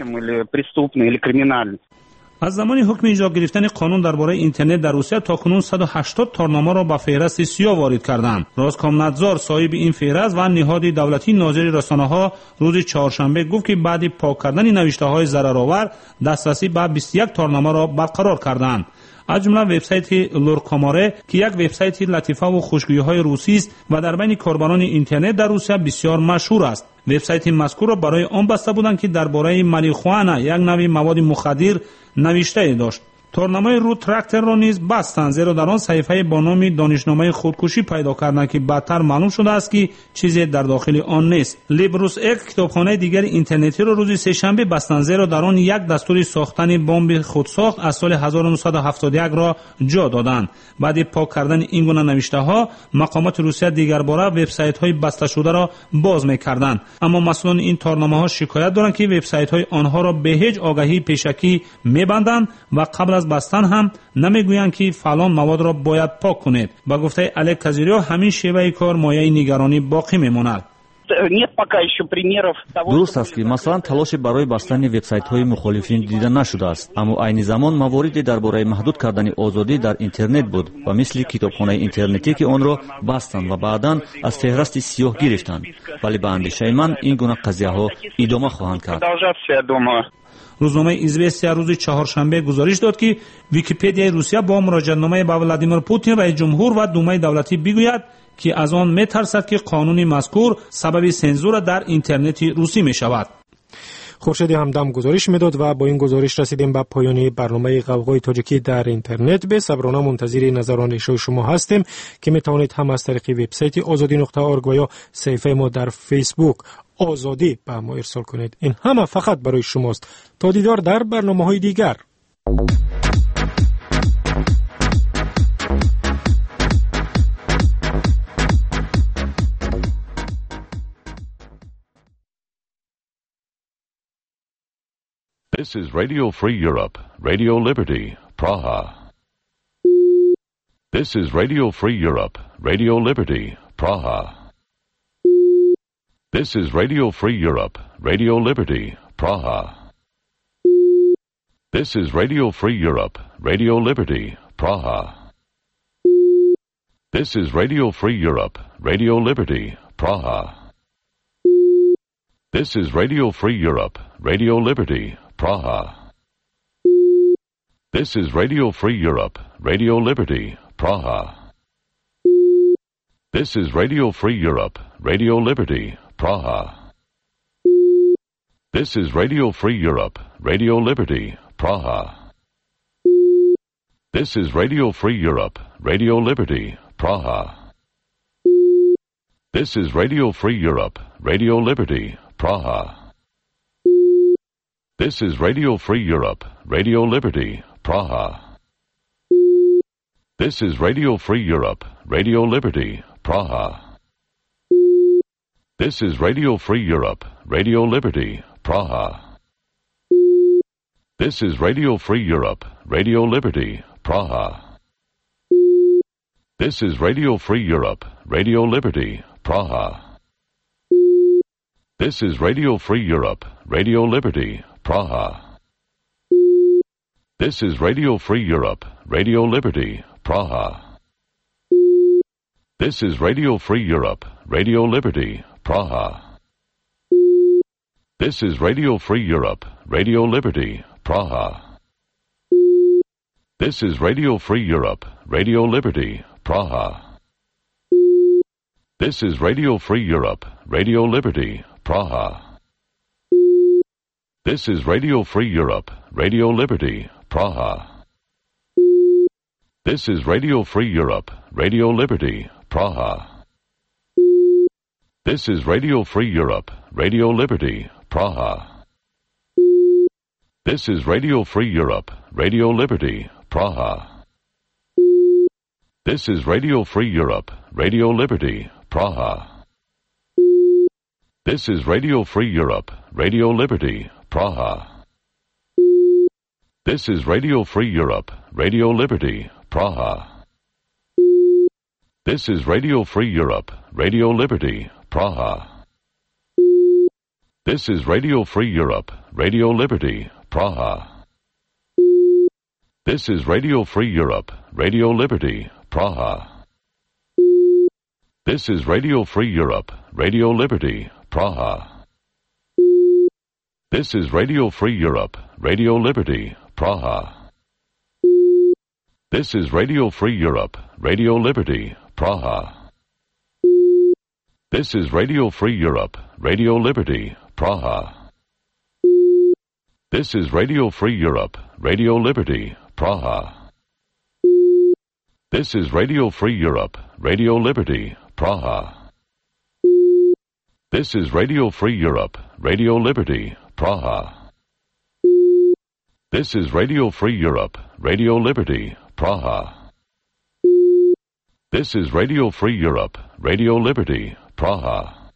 Аз замони ҳукми иҷро гирифтани қонун дар бораи интернет дар Русия то кунун саду ҳаштод торномаро ба феҳристи сиёҳ ворид карданд. Роскомнадзор, соҳиби ин феҳрист ва ниҳоди давлатии нозири расонаҳо, рӯзи чоршанбе гуфт, ки баъди пок кардани навиштаҳои зараровар дастрасӣ ба бисту як торномаро барқарор карданд. Аз ҷумла вебсайти Луркоморе, ки як вебсайти латифаву хушгӯиҳои русист ва дар байни корбарони интернет дар Русия бисёр машҳур аст. Вебсайти мазкурро барои он баста буданд, ки дар бораи марихуана, як нави маводи мухаддир, навиштае дошт. Торнамои ру тракторро низ бастанд, зеро дар он саҳифае бо номи донишномаи худкушӣ пайдо карданд, ки баъдтар маълум шудааст, ки чизе дар дохили он нест. Либрус эк, китобхонаи дигари интернетиро рӯзи сешанбе бастанд, зеро дар он як дастури сохтани бомби худсохт аз соли ҳазору нӯҳсаду ҳафтоду якро ҷо доданд. Баъди пок кардани ин гуна навиштаҳо, мақомоти Русия дигарбора вебсайтҳои басташударо боз мекарданд. Аммо масъулони ин торномаҳо шикоят доранд, ки вебсайтҳои онҳоро бе ҳеҷ огаҳии пешакӣ мебанданд ва қабл аз бастан ҳам намегӯянд, ки фалон маводро бояд пок кунед. Ба гуфтаи Олег Козирёв, ҳамин шеваи кор мояи нигаронӣ боқӣ мемонад. Нет пока еще примеров того. Дуруст аст, ки масалан талоше барои бастани вебсайтҳои мухолифин дида нашудааст, аммо айни замон мавориде дар бораи маҳдуд кардани озодӣ дар интернет буд ва мисли китобхонаи интернетӣ, ки онро бастанд ва баъдан аз феҳрасти сиёҳ гирифтанд. Вале ба андешаи ман ин гуна қазияҳо идома хоҳанд кард. Рӯзномаи Известия рӯзи чаҳоршанбе гузориш дод, ки Википедияи Русия бо муроҷиатномаи ба Владимир Путин, раис ҷумҳур ва Думаи давлатӣ бигӯяд, ки аз он метарсад, ки қонуни мазкур сабаби сензура дар интернети русӣ мешавад. Хуршеди Ҳамдам гузориш медод ва бо ин гузориш расидем ба поёни барномаи Ғавғои тоҷикӣ дар интернет. Бесаброна мунтазири назару андешаҳои шумо ҳастем, ки метавонед ҳам аз тариқи вебсайти озодӣ нуқта орг ва ё саҳифаи мо дар Фейсбук Озодӣ ба мо ирсол кунед. Ин ҳама фақат барои шумост. То дидор дар барномаҳои дигар. This is Radio Free Europe, Radio Liberty, Praha. This is Radio Free Europe, Radio Liberty, Praha. This is Radio Free Europe, Radio Liberty, Praha. This is Radio Free Europe, Radio Liberty, Praha. This is Radio Free Europe, Radio Liberty, Praha. This is Radio Free Europe, Radio Liberty, Praha. This is Radio Free Europe, Radio Liberty, Praha. This is Radio Free Europe, Radio Liberty, Praha. This is Radio Free Europe, Radio Liberty, Praha. This is Radio Free Europe, Radio Liberty, Praha. This is Radio Free Europe, Radio Liberty, Praha. This is Radio Free Europe, Radio Liberty, Praha. This is Radio Free Europe, Radio Liberty, Praha. This is Radio Free Europe, Radio Liberty, Praha. This is Radio Free Europe, Radio Liberty, Praha. This is Radio Free Europe, Radio Liberty, Praha. This is Radio Free Europe, Radio Liberty, Praha. This is Radio Free Europe, Radio Liberty, Praha. This is Radio Free Europe, Radio Liberty, Praha. This is Radio Free Europe, Radio Liberty, Praha. This is Radio Free Europe, Radio Liberty, Praha. This is Radio Free Europe, Radio Liberty, Praha. This is Radio Free Europe, Radio Liberty, Praha. This is Radio Free Europe, Radio Liberty, Praha. This is Radio Free Europe, Radio Liberty, Praha. This is Radio Free Europe, Radio Liberty, Praha. This is Radio Free Europe, Radio Liberty, Praha. This is Radio Free Europe, Radio Liberty, Praha. This is Radio Free Europe, Radio Liberty, Praha. This is Radio Free Europe, Radio Liberty, Praha. This is Radio Free Europe, Radio Liberty, Praha. This is Radio Free Europe, Radio Liberty, Praha. This is Radio Free Europe, Radio Liberty, Praha. This is Radio Free Europe, Radio Liberty, Praha. This is Radio Free Europe, Radio Liberty, Praha. This is Radio Free Europe, Radio Liberty, Praha. This is Radio Free Europe, Radio Liberty, Praha. This is Radio Free Europe, Radio Liberty, Praha. This is Radio Free Europe, Radio Liberty, Praha. This is Radio Free Europe, Radio Liberty, Praha. This is Radio Free Europe, Radio Liberty, Praha.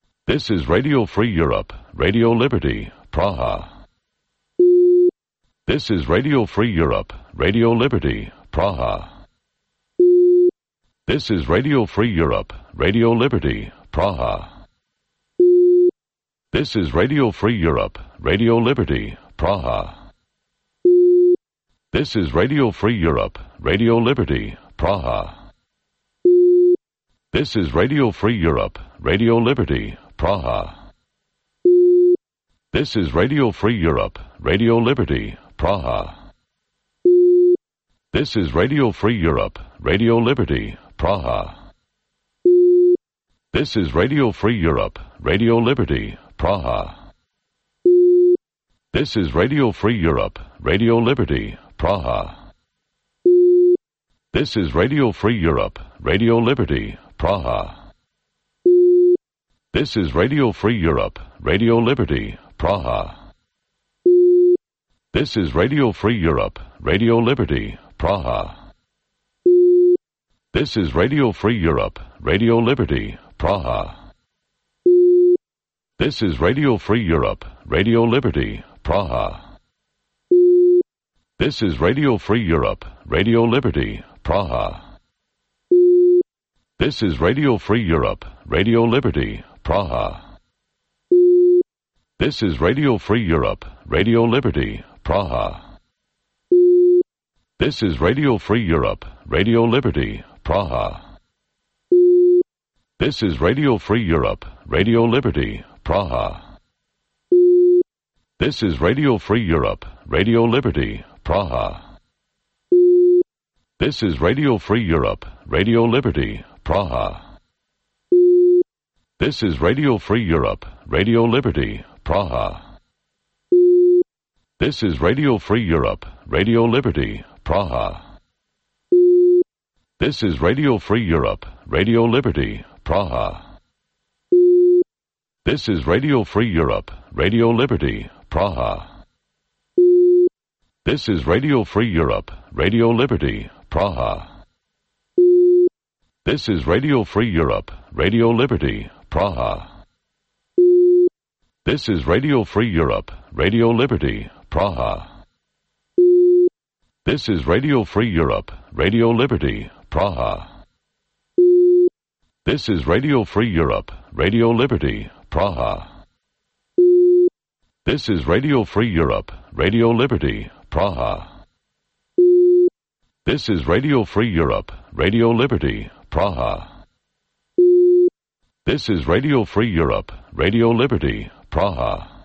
This is Radio Free Europe, Radio Liberty, Praha. This is Radio Free Europe, Radio Liberty, Praha. This is Radio Free Europe, Radio Liberty, Praha. This is Radio Free Europe, Radio Liberty, Praha. This is Radio Free Europe, Radio Liberty, Praha. This is Radio Free Europe, Radio Liberty, Praha. This is Radio Free Europe, Radio Liberty, Praha. This is Radio Free Europe, Radio Liberty, Praha. This is Radio Free Europe, Radio Liberty, Praha. This is Radio Free Europe, Radio Liberty, Praha. This is Radio Free Europe, Radio Liberty, Praha. This is Radio Free Europe, Radio Liberty, Praha. This is Radio Free Europe, Radio Liberty, Praha. This is Radio Free Europe, Radio Liberty, Praha. This is Radio Free Europe, Radio Liberty, Praha. This is Radio Free Europe, Radio Liberty, Praha. This is Radio Free Europe, Radio Liberty, Praha. This is Radio Free Europe, Radio Liberty, Praha. This is Radio Free Europe, Radio Liberty, Praha. This is Radio Free Europe, Radio Liberty, Praha. This is Radio Free Europe, Radio Liberty, Praha. This is Radio Free Europe, Radio Liberty, Praha. This is Radio Free Europe, Radio Liberty, Praha. This is Radio Free Europe, Radio Liberty, Praha. This is Radio Free Europe, Radio Liberty, Praha. This is Radio Free Europe, Radio Liberty, Praha. This is Radio Free Europe, Radio Liberty, Praha. This is Radio Free Europe, Radio Liberty, Praha. This is Radio Free Europe, Radio Liberty, Praha. This is Radio Free Europe, Radio Liberty, Praha. This is Radio Free Europe, Radio Liberty, Praha. This is Radio Free Europe, Radio Liberty, Praha. This is Radio Free Europe, Radio Liberty, Praha. This is Radio Free Europe, Radio Liberty, Praha. This is Radio Free Europe, Radio Liberty, Praha.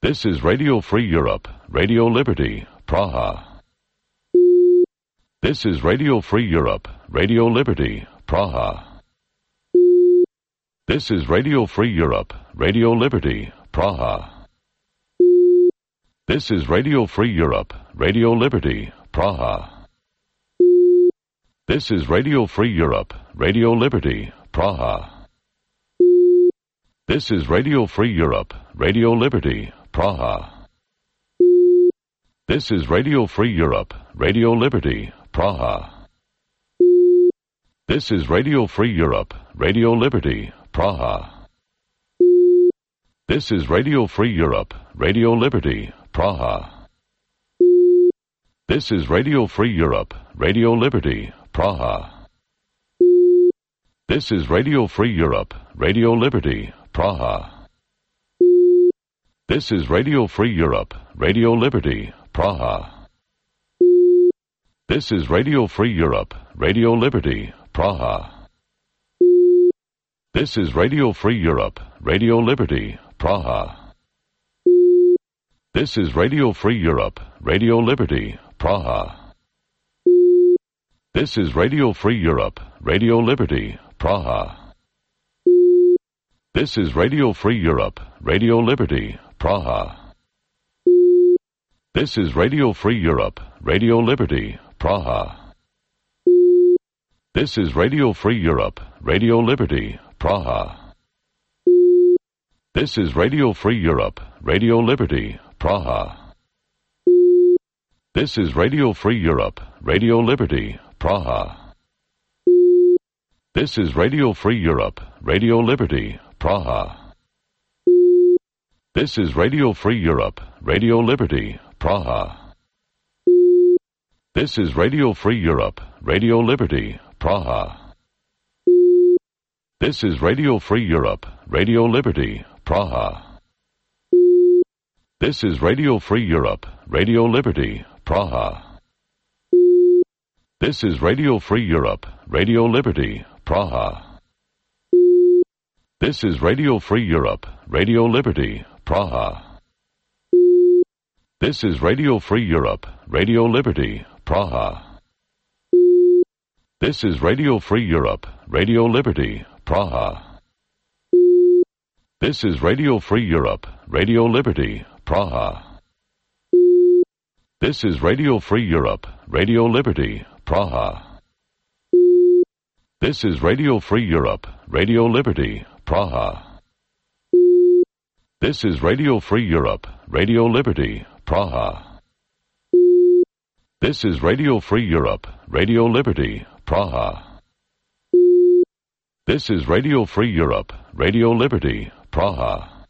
This is Radio Free Europe, Radio Liberty, Praha. This is Radio Free Europe, Radio Liberty, Praha. This is Radio Free Europe, Radio Liberty, Praha. This is Radio Free Europe, Radio Liberty, Praha. This is Radio Free Europe, Radio Liberty, Praha. This is Radio Free Europe, Radio Liberty, Praha. This is Radio Free Europe, Radio Liberty, Praha. This is Radio Free Europe, Radio Liberty, Praha. This is Radio Free Europe, Radio Liberty, Praha. This is Radio Free Europe, Radio Liberty, Praha. This is Radio Free Europe, Radio Liberty, Praha. This is Radio Free Europe, Radio Liberty, Praha. This is Radio Free Europe, Radio Liberty, Praha. This is Radio Free Europe, Radio Liberty, Praha. This is Radio Free Europe, Radio Liberty, Praha. This is Radio Free Europe, Radio Liberty, Praha. This is Radio Free Europe, Radio Liberty, Praha. This is Radio Free Europe, Radio Liberty, Praha. This is Radio Free Europe, Radio Liberty, Praha. This is Radio Free Europe, Radio Liberty, Praha. This is Radio Free Europe, Radio Liberty, Praha. This is Radio Free Europe, Radio Liberty, Praha. This is Radio Free Europe, Radio Liberty, Praha. This is Radio Free Europe, Radio Liberty, Praha. This is Radio Free Europe, Radio Liberty, Praha. This is Radio Free Europe, Radio Liberty, Praha. This is Radio Free Europe, Radio Liberty, Praha. This is Radio Free Europe, Radio Liberty, Praha. This is Radio Free Europe, Radio Liberty, Praha. This is Radio Free Europe, Radio Liberty, Praha. This is Radio Free Europe, Radio Liberty, Praha. This is Radio Free Europe, Radio Liberty, Praha. This is Radio Free Europe, Radio Liberty, Praha. This is Radio Free Europe, Radio Liberty, Praha. This is Radio Free Europe, Radio Liberty, Praha.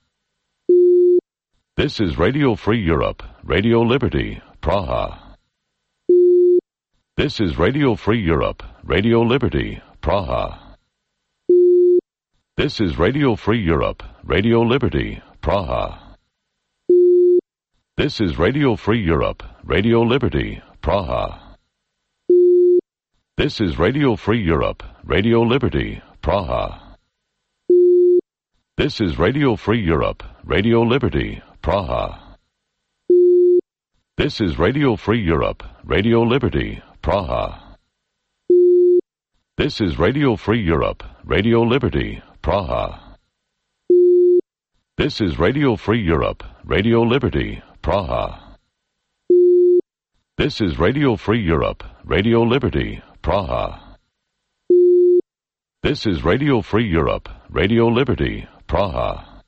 This is Radio Free Europe, Radio Liberty, Praha. This is Radio Free Europe, Radio Liberty, Praha. This is Radio Free Europe, Radio Liberty, Praha. This is Radio Free Europe, Radio Liberty, Praha. This is Radio Free Europe, Radio Liberty, Praha. This is Radio Free Europe, Radio Liberty, Praha. This is Radio Free Europe, Radio Liberty, Praha. This is Radio Free Europe, Radio Liberty, Praha. This is Radio Free Europe, Radio Liberty, Praha. This is Radio Free Europe, Radio Liberty, Praha. This is Radio Free Europe, Radio Liberty, Praha.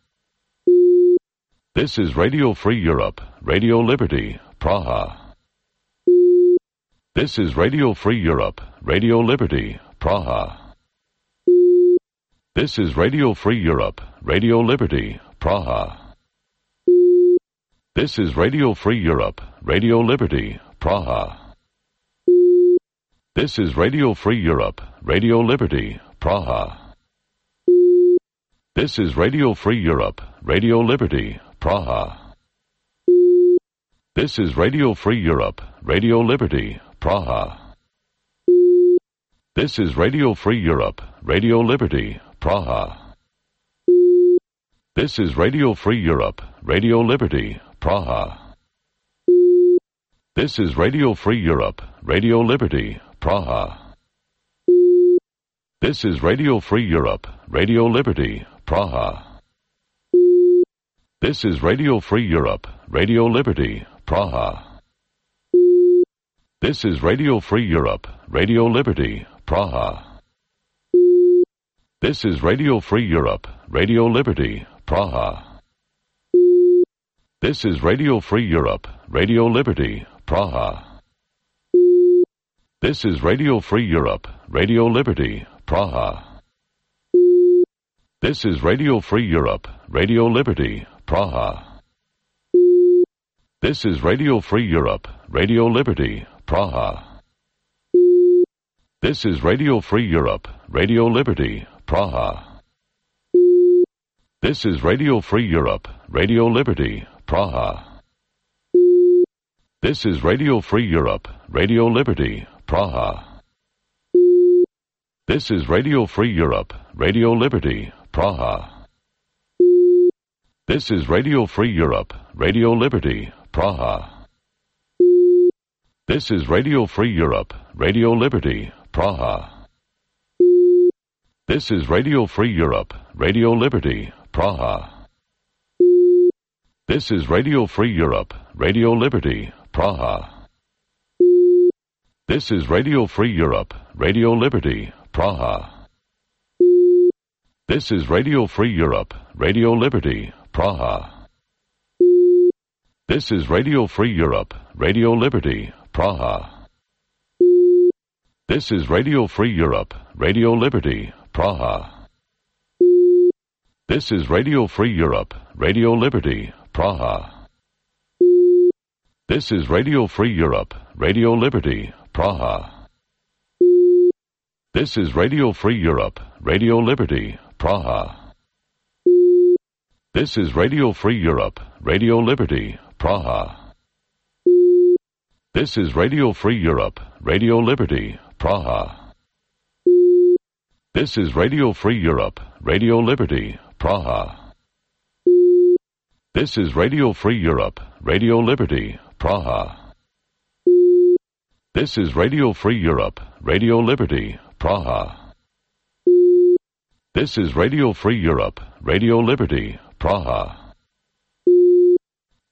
This is Radio Free Europe, Radio Liberty, Praha. This is Radio Free Europe, Radio Liberty, Praha. This is Radio Free Europe, Radio Liberty, Praha. This is Radio Free Europe, Radio Liberty, Praha. This is Radio Free Europe, Radio Liberty, Praha. This is Radio Free Europe, Radio Liberty, Praha. This is Radio Free Europe, Radio Liberty, Praha. This is Radio Free Europe, Radio Liberty, Praha. This is Radio Free Europe, Radio Liberty, Praha. This is Radio Free Europe, Radio Liberty, Praha. This is Radio Free Europe, Radio Liberty, Praha. This is Radio Free Europe, Radio Liberty, Praha. This is Radio Free Europe, Radio Liberty, Praha. This is Radio Free Europe, Radio Liberty, Praha. This is Radio Free Europe, Radio Liberty, Praha. This is Radio Free Europe, Radio Liberty, Praha. This is Radio Free Europe, Radio Liberty, Praha. This is Radio Free Europe, Radio Liberty, Praha. This is Radio Free Europe, Radio Liberty, Praha. This is Radio Free Europe, Radio Liberty, Praha. This is Radio Free Europe, Radio Liberty, Praha. This is Radio Free Europe, Radio Liberty, Praha. This is Radio Free Europe, Radio Liberty, Praha. This is Radio Free Europe, Radio Liberty, Praha. This is Radio Free Europe, Radio Liberty, Praha. This is Radio Free Europe, Radio Liberty, Praha. This is Radio Free Europe, Radio Liberty, Praha. This is Radio Free Europe, Radio Liberty, Praha. This is Radio Free Europe, Radio Liberty, Praha. This is Radio Free Europe, Radio Liberty, Praha. This is Radio Free Europe, Radio Liberty, Praha. This is Radio Free Europe, Radio Liberty, Praha. This is Radio Free Europe, Radio Liberty, Praha. This is Radio Free Europe, Radio Liberty, Praha. This is Radio Free Europe, Radio Liberty, Praha. This is Radio Free Europe, Radio Liberty, Praha. This is Radio Free Europe, Radio Liberty, Praha. This is Radio Free Europe, Radio Liberty, Praha. This is Radio Free Europe, Radio Liberty, Praha.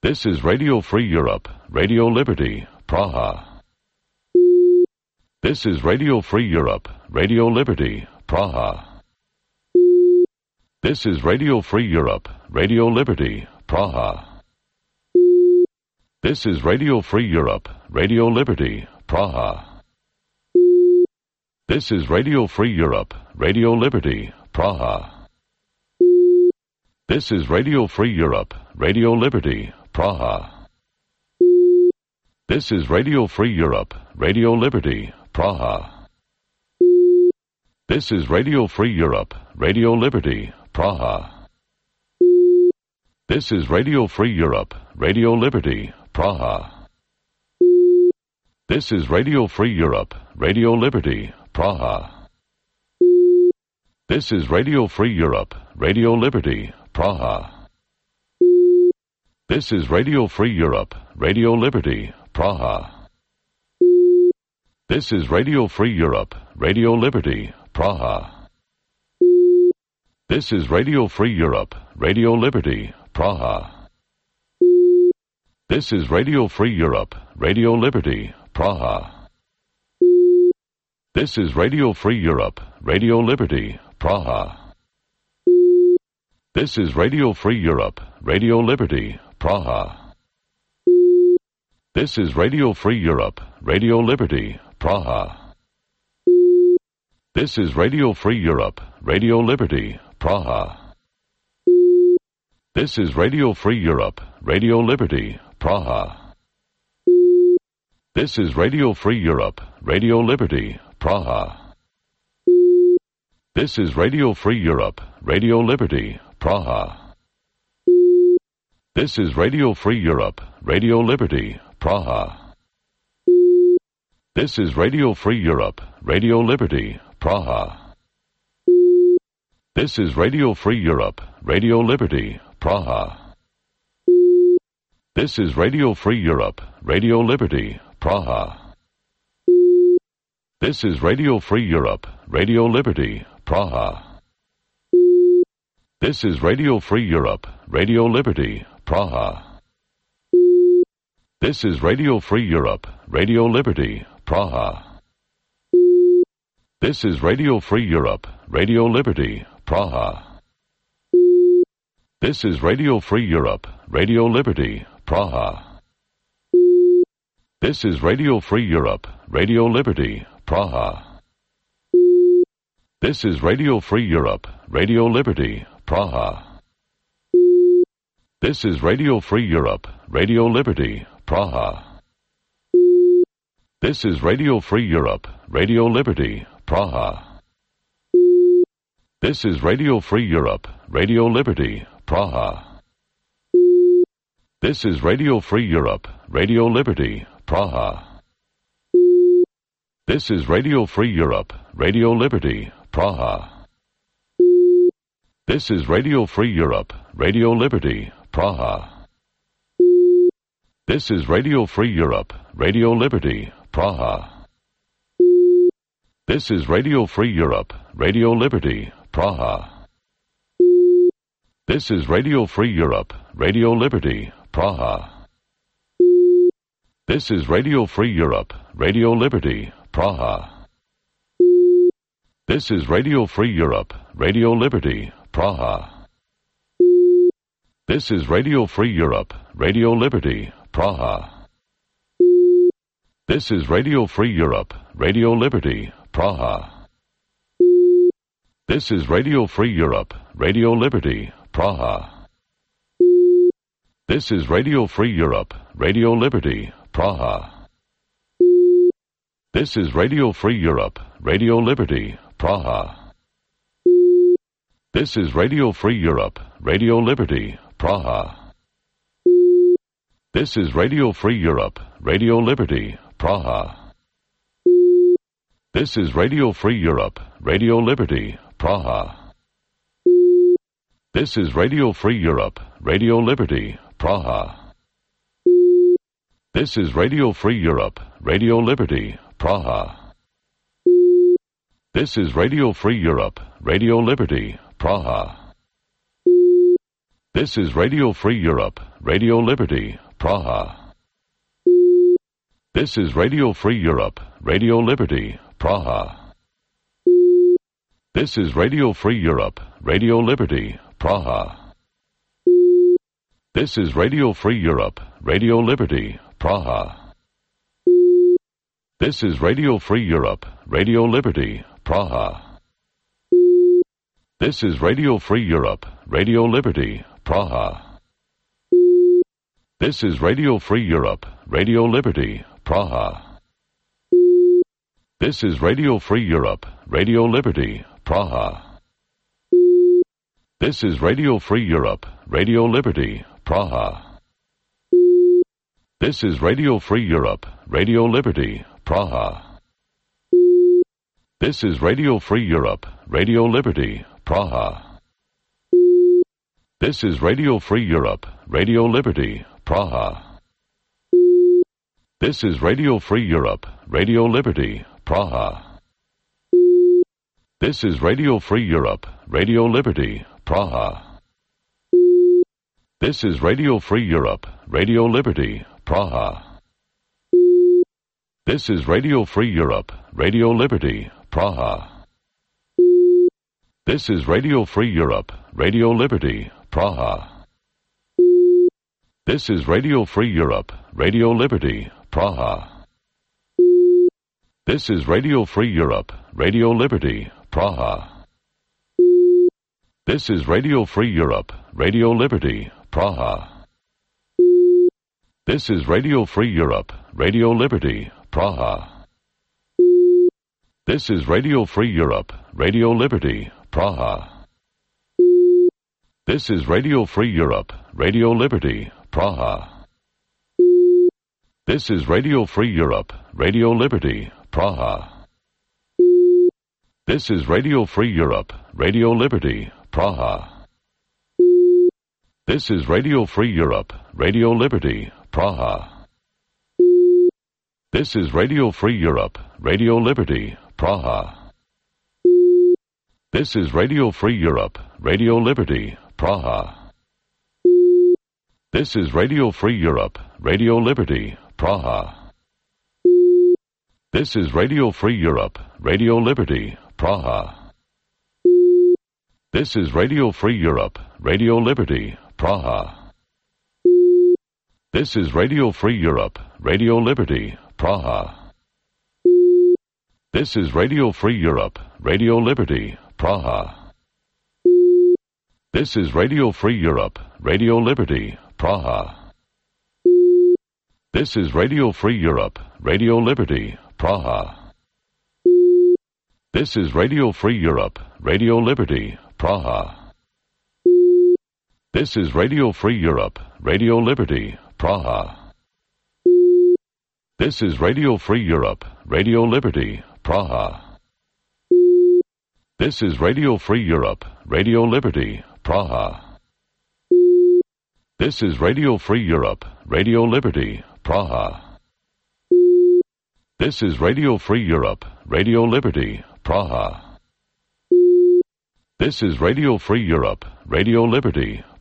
This is Radio Free Europe, Radio Liberty, Praha. This is Radio Free Europe, Radio Liberty, Praha. This is Radio Free Europe, Radio Liberty, Praha. This is Radio Free Europe, Radio Liberty, Praha. This is Radio Free Europe, Radio Liberty, Praha. This is Radio Free Europe, Radio Liberty, Praha. This is Radio Free Europe, Radio Liberty, Praha. This is Radio Free Europe, Radio Liberty, Praha. This is Radio Free Europe, Radio Liberty, Praha. This is Radio Free Europe, Radio Liberty, Praha. This is Radio Free Europe, Radio Liberty, Praha. This is Radio Free Europe, Radio Liberty, Praha. This is Radio Free Europe, Radio Liberty, Praha. This is Radio Free Europe, Radio Liberty, Praha. This is Radio Free Europe, Radio Liberty, Praha. This is Radio Free Europe, Radio Liberty, Praha. This is Radio Free Europe, Radio Liberty, Praha. This is Radio Free Europe, Radio Liberty, Praha. This is Radio Free Europe, Radio Liberty, Praha. This is Radio Free Europe, Radio Liberty, Praha. This is Radio Free Europe, Radio Liberty, Praha. This is Radio Free Europe, Radio Liberty, Praha. This is Radio Free Europe, Radio Liberty, Praha. This is Radio Free Europe, Radio Liberty, Praha. This is Radio Free Europe, Radio Liberty, Praha. This is Radio Free Europe, Radio Liberty, Praha. This is Radio Free Europe, Radio Liberty, Praha. This is Radio Free Europe, Radio Liberty, Praha. This is Radio Free Europe, Radio Liberty, Praha. This is Radio Free Europe, Radio Liberty, Praha. This is Radio Free Europe, Radio Liberty, Praha. This is Radio Free Europe, Radio Liberty, Praha. This is Radio Free Europe, Radio Liberty, Praha. This is Radio Free Europe, Radio Liberty, Praha. This is Radio Free Europe, Radio Liberty, Praha. This is Radio Free Europe, Radio Liberty, Praha. This is Radio Free Europe, Radio Liberty, Praha. This is Radio Free Europe, Radio Liberty, Praha. This is Radio Free Europe, Radio Liberty, Praha. This is Radio Free Europe, Radio Liberty, Praha. This is Radio Free Europe, Radio Liberty, Praha. This is Radio Free Europe, Radio Liberty, Praha. This is Radio Free Europe, Radio Liberty, Praha. This is Radio Free Europe, Radio Liberty, Praha. This is Radio Free Europe, Radio Liberty, Praha. This is Radio Free Europe, Radio Liberty, Praha. This is Radio Free Europe, Radio Liberty, Praha. This is Radio Free Europe, Radio Liberty, Praha. This is Radio Free Europe, Radio Liberty, Praha. This is Radio Free Europe, Radio Liberty, Praha. This is Radio Free Europe, Radio Liberty, Praha. This is Radio Free Europe, Radio Liberty, Praha. This is Radio Free Europe, Radio Liberty, Praha. This is Radio Free Europe, Radio Liberty, Praha. This is Radio Free Europe, Radio Liberty, Praha. This is Radio Free Europe, Radio Liberty, Praha. This is Radio Free Europe, Radio Liberty, Praha. This is Radio Free Europe, Radio Liberty, Praha. This is Radio Free Europe, Radio Liberty, Praha. This is Radio Free Europe, Radio Liberty, Praha. This is Radio Free Europe, Radio Liberty, Praha. This is Radio Free Europe, Radio Liberty, Praha. This is Radio Free Europe, Radio Liberty, Praha. This is Radio Free Europe, Radio Liberty, Praha. This is Radio Free Europe, Radio Liberty, Praha. This is Radio Free Europe, Radio Liberty, Praha. This is Radio Free Europe, Radio Liberty, Praha. This is Radio Free Europe, Radio Liberty, Praha. This is Radio Free Europe, Radio Liberty, Praha. This is Radio Free Europe, Radio Liberty, Praha. This is Radio Free Europe, Radio Liberty, Praha. This is Radio Free Europe, Radio Liberty, Praha. This is Radio Free Europe, Radio Liberty, Praha. This is Radio Free Europe, Radio Liberty, Praha. This is Radio Free Europe, Radio Liberty, Praha. This is Radio Free Europe, Radio Liberty, Praha. This is Radio Free Europe, Radio Liberty, Praha. This is Radio Free Europe, Radio Liberty, Praha. This is Radio Free Europe, Radio Liberty, Praha. This is Radio Free Europe, Radio Liberty, Praha. This is Radio Free Europe, Radio Liberty, Praha. This is Radio Free Europe, Radio Liberty, Praha. This is Radio Free Europe, Radio Liberty, Praha. This is Radio Free Europe, Radio Liberty, Praha. This is Radio Free Europe, Radio Liberty, Praha. This is Radio Free Europe, Radio Liberty, Praha. This is Radio Free Europe, Radio Liberty, Praha. This is Radio Free Europe, Radio Liberty, Praha. This is Radio Free Europe, Radio Liberty, Praha. This is Radio Free Europe, Radio Liberty, Praha. This is Radio Free Europe, Radio Liberty, Praha. This is Radio Free Europe, Radio Liberty, Praha. This is Radio Free Europe, Radio Liberty, Praha. This is Radio Free Europe, Radio Liberty, Praha. This is Radio Free Europe, Radio Liberty, Praha. This is Radio Free Europe, Radio Liberty,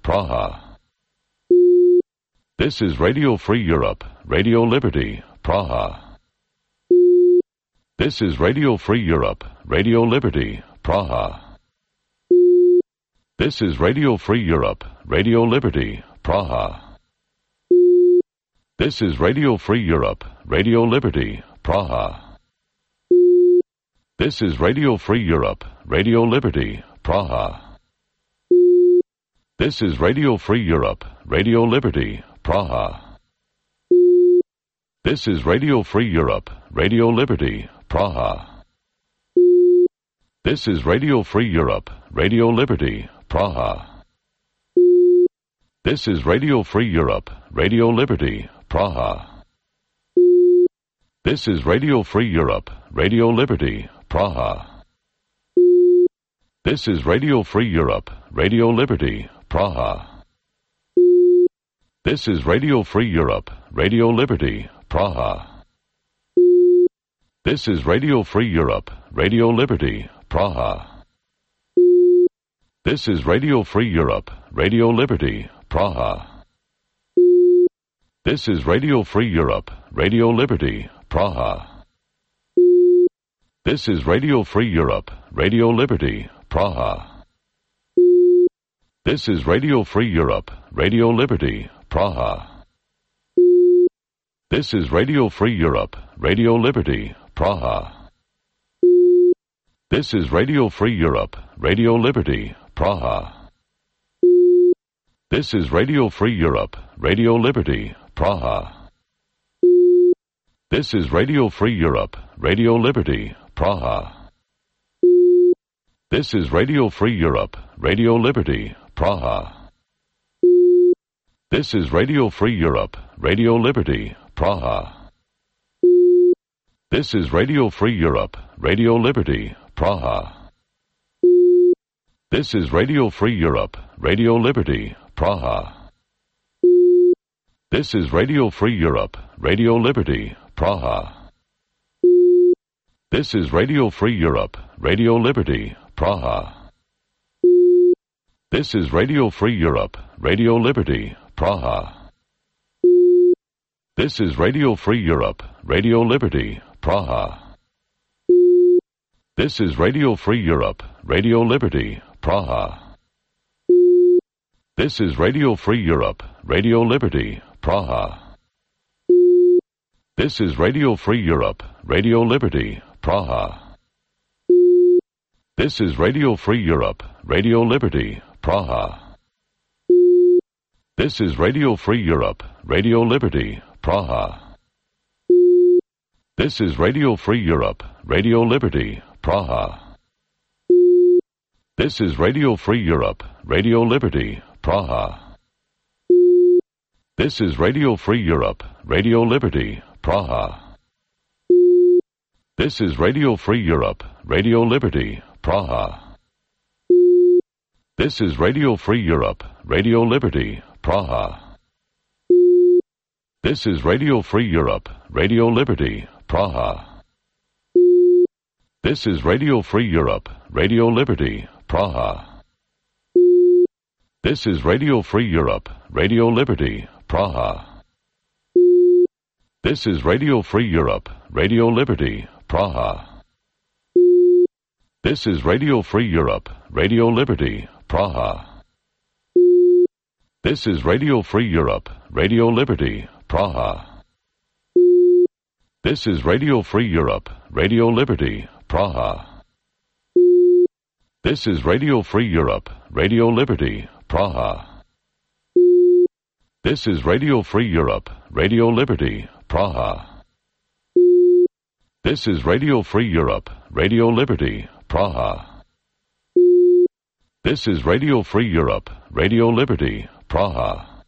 Praha. This is Radio Free Europe, Radio Liberty, Praha. This is Radio Free Europe, Radio Liberty, Praha. This is Radio Free Europe, Radio Liberty, Praha. This is Radio Free Europe, Radio Liberty, Praha. This is Radio Free Europe, Radio Liberty, Praha. This is Radio Free Europe, Radio Liberty, Praha. This is Radio Free Europe, Radio Liberty, Praha. This is Radio Free Europe, Radio Liberty, Praha. This is Radio Free Europe, Radio Liberty, Praha. This is Radio Free Europe, Radio Liberty, Praha. This is Radio Free Europe, Radio Liberty, Praha. This is Radio Free Europe, Radio Liberty, Praha. This is Radio Free Europe, Radio Liberty, Praha. This is Radio Free Europe, Radio Liberty, Praha. This is Radio Free Europe, Radio Liberty, Praha. This is Radio Free Europe, Radio Liberty, Praha. This is Radio Free Europe, Radio Liberty, Praha. This is Radio Free Europe, Radio Liberty, Praha. This is Radio Free Europe, Radio Liberty, Praha. This is Radio Free Europe, Radio Liberty, Praha. This is Radio Free Europe, Radio Liberty, Praha. This is Radio Free Europe, Radio Liberty, Praha. This is Radio Free Europe, Radio Liberty, Praha. This is Radio Free Europe, Radio Liberty, Praha. This is Radio Free Europe, Radio Liberty, Praha. This is Radio Free Europe, Radio Liberty, Praha. This is Radio Free Europe, Radio Liberty, Praha. This is Radio Free Europe, Radio Liberty, Praha. This is Radio Free Europe, Radio Liberty, Praha. This is Radio Free Europe, Radio Liberty, Praha. This is Radio Free Europe, Radio Liberty, Praha. This is Radio Free Europe, Radio Liberty, Praha. This is Radio Free Europe, Radio Liberty, Praha. This is Radio Free Europe, Radio Liberty, Praha. This is Radio Free Europe, Radio Liberty, Praha. This is Radio Free Europe, Radio Liberty, Praha. This is Radio Free Europe, Radio Liberty, Praha. This is Radio Free Europe, Radio Liberty, Praha. This is Radio Free Europe, Radio Liberty, Praha. This is Radio Free Europe, Radio Liberty, Praha. This is Radio Free Europe, Radio Liberty, Praha. This is Radio Free Europe, Radio Liberty, Praha. This is Radio Free Europe, Radio Liberty, Praha. This is Radio Free Europe, Radio Liberty, Praha. This is Radio Free Europe, Radio Liberty, Praha. This is Radio Free Europe, Radio Liberty, Praha. This is Radio Free Europe, Radio Liberty, Praha. This is Radio Free Europe, Radio Liberty, Praha. This is Radio Free Europe, Radio Liberty, Praha. This is Radio Free Europe, Radio Liberty, Praha. This is Radio Free Europe, Radio Liberty, Praha.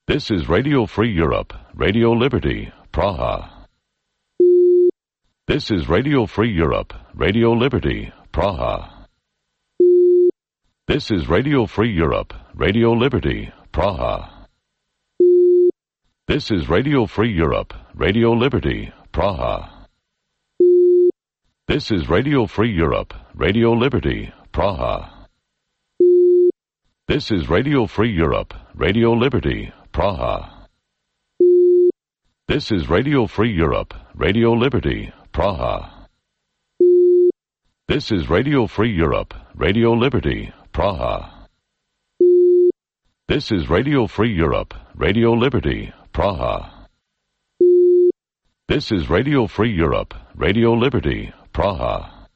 This is Radio Free Europe, Radio Liberty, Praha. This is Radio Free Europe, Radio Liberty, Praha. This is Radio Free Europe, Radio Liberty, Praha. This is Radio Free Europe, Radio Liberty, Praha. This is Radio Free Europe, Radio Liberty, Praha. This is Radio Free Europe, Radio Liberty, Praha. This is Radio Free Europe, Radio Liberty, Praha. This is Radio Free Europe, Radio Liberty, Praha. This is Radio Free Europe, Radio Liberty, Praha. This is Radio Free Europe, Radio Liberty, Praha.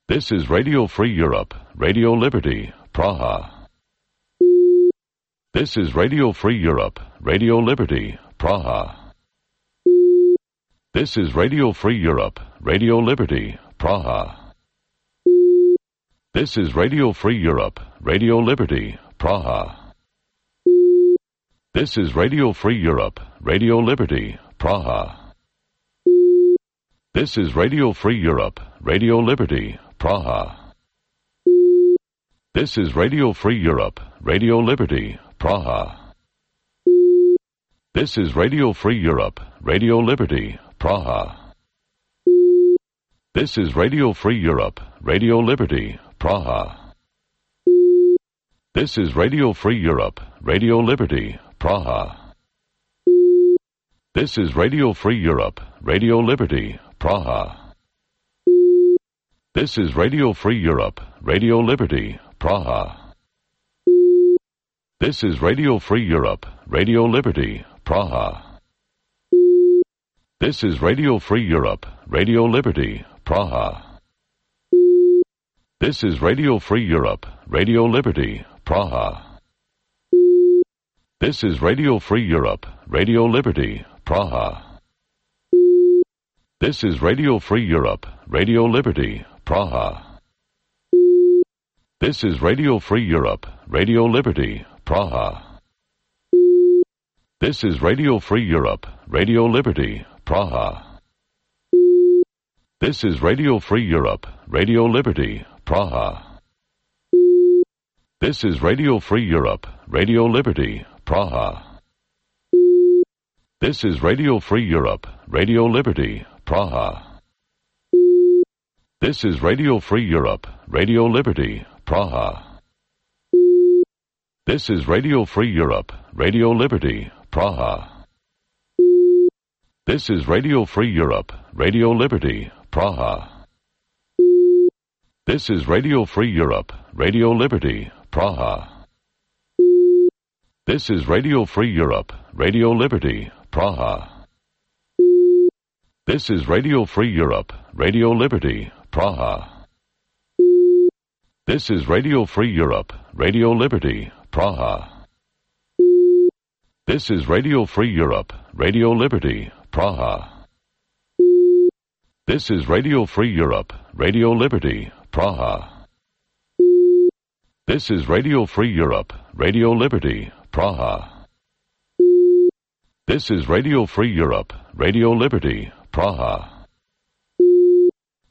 This is Radio Free Europe, Radio Liberty, Praha. This is Radio Free Europe, Radio Liberty, Praha. This is Radio Free Europe, Radio Liberty, Praha. This is Radio Free Europe, Radio Liberty, Praha. This is Radio Free Europe, Radio Liberty, Praha. This is Radio Free Europe, Radio Liberty, Praha. This is Radio Free Europe, Radio Liberty, Praha. This is Radio Free Europe, Radio Liberty, Praha. This is Radio Free Europe, Radio Liberty, Praha. This is Radio Free Europe, Radio Liberty, Praha. This is Radio Free Europe, Radio Liberty, Praha. This is Radio Free Europe, Radio Liberty, Praha. This is Radio Free Europe, Radio Liberty, Praha. This is Radio Free Europe, Radio Liberty, Praha. This is Radio Free Europe, Radio Liberty, Praha. This is Radio Free Europe, Radio Liberty, Praha. This is Radio Free Europe, Radio Liberty, Praha. This is Radio Free Europe, Radio Liberty, Praha. This is Radio Free Europe, Radio Liberty, Praha. This is Radio Free Europe, Radio Liberty, Praha. This is Radio Free Europe, Radio Liberty, Praha. This is Radio Free Europe, Radio Liberty, Praha. This is Radio Free Europe, Radio Liberty, Praha. This is Radio Free Europe, Radio Liberty, Praha. This is Radio Free Europe, Radio Liberty, Praha. This is Radio Free Europe, Radio Liberty, Praha. This is Radio Free Europe, Radio Liberty, Praha. This is Radio Free Europe, Radio Liberty, Praha. This is Radio Free Europe, Radio Liberty, Praha. This is Radio Free Europe, Radio Liberty, Praha. This is Radio Free Europe, Radio Liberty, Praha. This is Radio Free Europe, Radio Liberty, Praha. This is Radio Free Europe, Radio Liberty, Praha.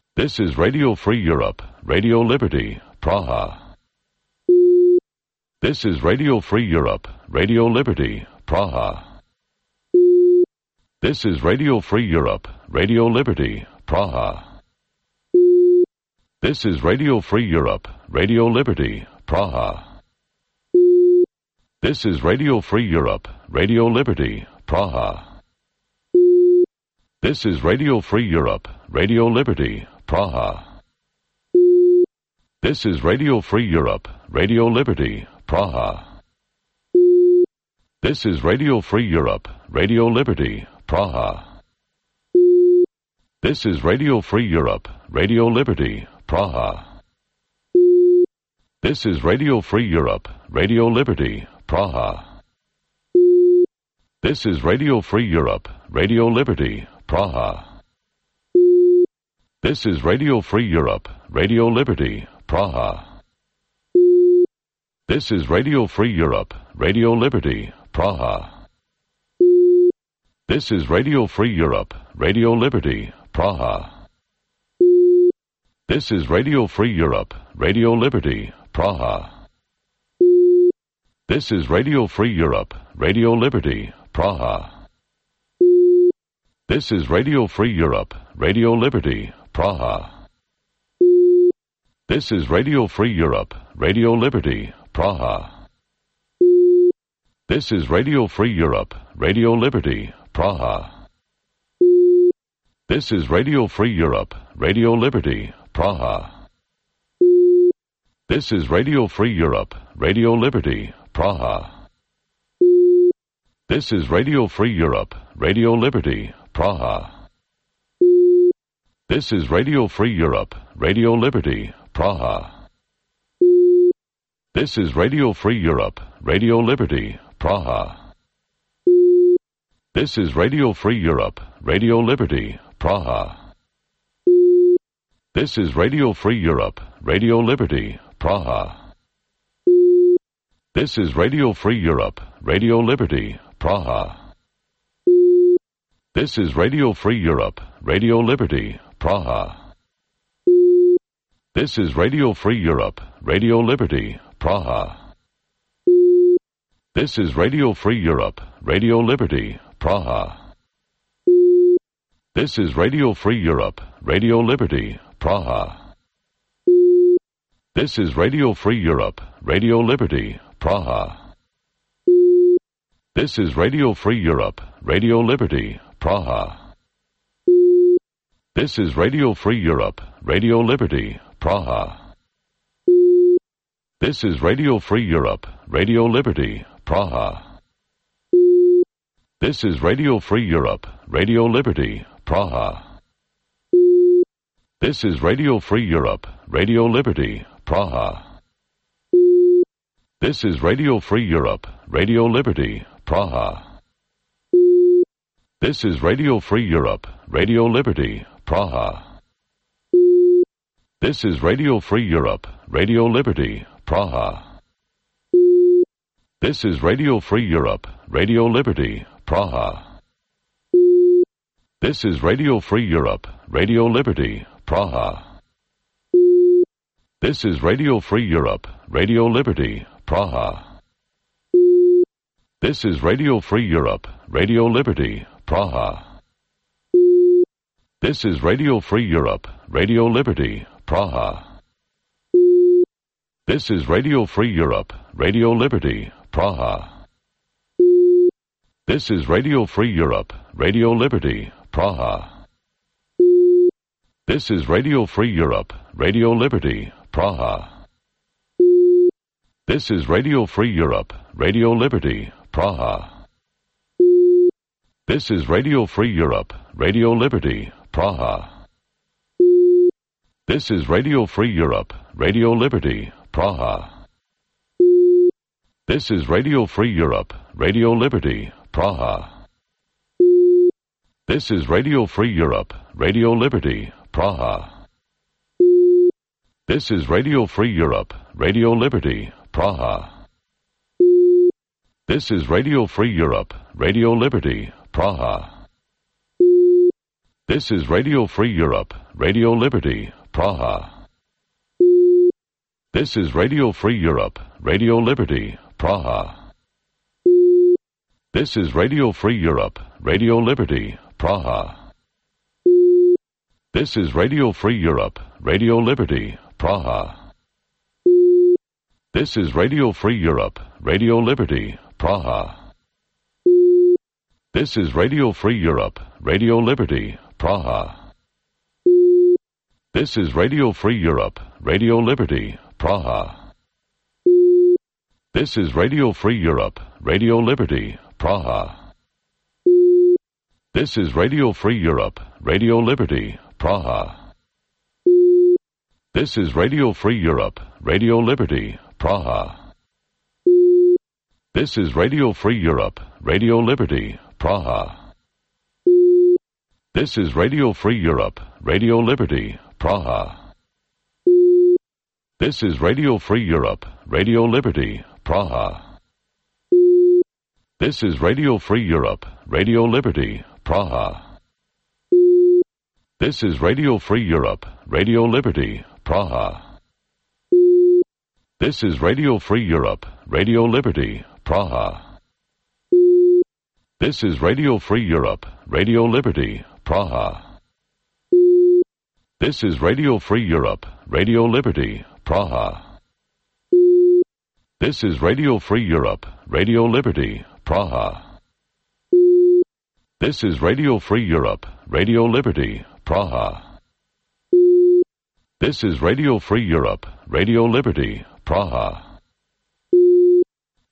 This is Radio Free Europe, Radio Liberty, Praha. This is Radio Free Europe, Radio Liberty, Praha. This is Radio Free Europe, Radio Liberty, Praha. This is Radio Free Europe, Radio Liberty, Praha. This is Radio Free Europe, Radio Liberty, Praha. This is Radio Free Europe, Radio Liberty, Praha. This is Radio Free Europe, Radio Liberty, Praha. This is Radio Free Europe, Radio Liberty, Praha. This is Radio Free Europe, Radio Liberty, Praha. This is Radio Free Europe, Radio Liberty, Praha. This is Radio Free Europe, Radio Liberty, Praha. This is Radio Free Europe, Radio Liberty, Praha. This is Radio Free Europe, Radio Liberty, Praha. This is Radio Free Europe, Radio Liberty, Praha. This is Radio Free Europe, Radio Liberty, Praha. This is Radio Free Europe, Radio Liberty, Praha. This is Radio Free Europe, Radio Liberty, Praha. This is Radio Free Europe, Radio Liberty, Praha. This is Radio Free Europe, Radio Liberty, Praha. This is Radio Free Europe, Radio Liberty, Praha. This is Radio Free Europe, Radio Liberty, Praha. This is Radio Free Europe, Radio Liberty, Praha. This is Radio Free Europe, Radio Liberty, Praha. This is Radio Free Europe, Radio Liberty, Praha. This is Radio Free Europe, Radio Liberty, Praha. This is Radio Free Europe, Radio Liberty, Praha. This is Radio Free Europe, Radio Liberty, Praha. This is Radio Free Europe, Radio Liberty, Praha. This is Radio Free Europe, Radio Liberty, Praha. This is Radio Free Europe, Radio Liberty, Praha. This is Radio Free Europe, Radio Liberty, Praha. This is Radio Free Europe, Radio Liberty, Praha. This is Radio Free Europe, Radio Liberty, Praha. This is Radio Free Europe, Radio Liberty, Praha. This is Radio Free Europe, Radio Liberty, Praha. This is Radio Free Europe, Radio Liberty, Praha. This is Radio Free Europe, Radio Liberty, Praha. This is Radio Free Europe, Radio Liberty, Praha. This is Radio Free Europe, Radio Liberty, Praha. This is Radio Free Europe, Radio Liberty, Praha. This is Radio Free Europe, Radio Liberty, Praha. This is Radio Free Europe, Radio Liberty, Praha. This is Radio Free Europe, Radio Liberty, Praha. This is Radio Free Europe, Radio Liberty, Praha. This is Radio Free Europe, Radio Liberty, Praha. This is Radio Free Europe, Radio Liberty, Praha. This is Radio Free Europe, Radio Liberty, Praha. This is Radio Free Europe, Radio Liberty, Praha. This is Radio Free Europe, Radio Liberty, Praha. This is Radio Free Europe, Radio Liberty, Praha. This is Radio Free Europe, Radio Liberty, Praha. This is Radio Free Europe, Radio Liberty, Praha. This is Radio Free Europe, Radio Liberty, Praha. This is Radio Free Europe, Radio Liberty, Praha. This is Radio Free Europe, Radio Liberty, Praha. This is Radio Free Europe, Radio Liberty, Praha. This is Radio Free Europe, Radio Liberty, Praha. This is Radio Free Europe, Radio Liberty, Praha. This is Radio Free Europe, Radio Liberty, Praha. This is Radio Free Europe, Radio Liberty, Praha. This is Radio Free Europe, Radio Liberty, Praha. This is Radio Free Europe, Radio Liberty, Praha. This is Radio Free Europe, Radio Liberty, Praha. This is Radio Free Europe, Radio Liberty, Praha. This is Radio Free Europe, Radio Liberty, Praha. This is Radio Free Europe, Radio Liberty, Praha. This is Radio Free Europe, Radio Liberty, Praha. This is Radio Free Europe, Radio Liberty, Praha. This is Radio Free Europe, Radio Liberty, Praha. This is Radio Free Europe, Radio Liberty, Praha. This is Radio Free Europe, Radio Liberty, Praha. This is Radio Free Europe, Radio Liberty, Praha. This is Radio Free Europe, Radio Liberty, Praha. This is Radio Free Europe, Radio Liberty, Praha. This is Radio Free Europe, Radio Liberty, Praha. This is Radio Free Europe, Radio Liberty, Praha.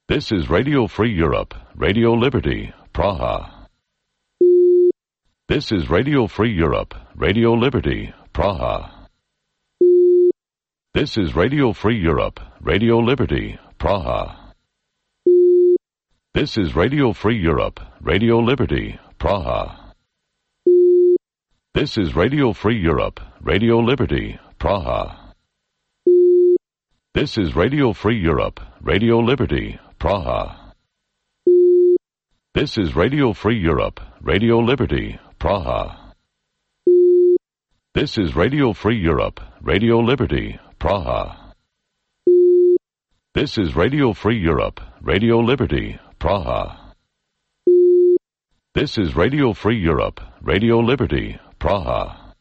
This is Radio Free Europe, Radio Liberty, Praha. This is Radio Free Europe, Radio Liberty, Praha. This is Radio Free Europe, Radio Liberty, Praha. This is Radio Free Europe, Radio Liberty, Praha. This is Radio Free Europe, Radio Liberty, Praha. This is Radio Free Europe, Radio Liberty, Praha. This is Radio Free Europe, Radio Liberty, Praha. This is Radio Free Europe, Radio Liberty, Praha. This is Radio Free Europe, Radio Liberty, Praha. This is Radio Free Europe, Radio Liberty, Praha.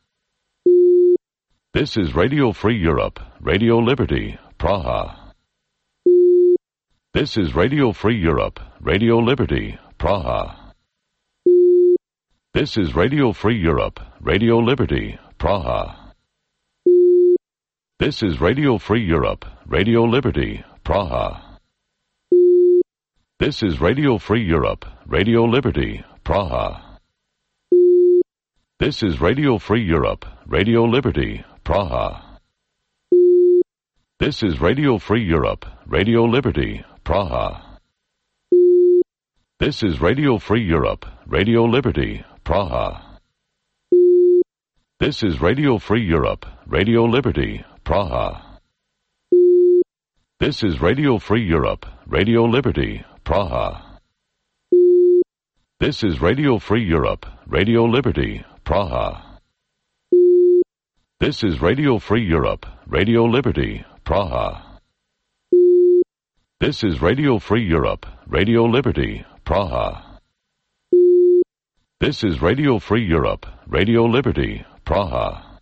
This is Radio Free Europe, Radio Liberty, Praha. This is Radio Free Europe, Radio Liberty, Praha. This is Radio Free Europe, Radio Liberty, Praha. This is Radio Free Europe, Radio Liberty, Praha. This is Radio Free Europe, Radio Liberty, Praha. This is Radio Free Europe, Radio Liberty, Praha. This is Radio Free Europe, Radio Liberty, Praha. This is Radio Free Europe, Radio Liberty, Praha. This is Radio Free Europe, Radio Liberty, Praha. This is Radio Free Europe, Radio Liberty, Praha. This is Radio Free Europe, Radio Liberty, Praha. This is Radio Free Europe, Radio Liberty, Praha. This is Radio Free Europe, Radio Liberty, Praha. This is Radio Free Europe, Radio Liberty, Praha.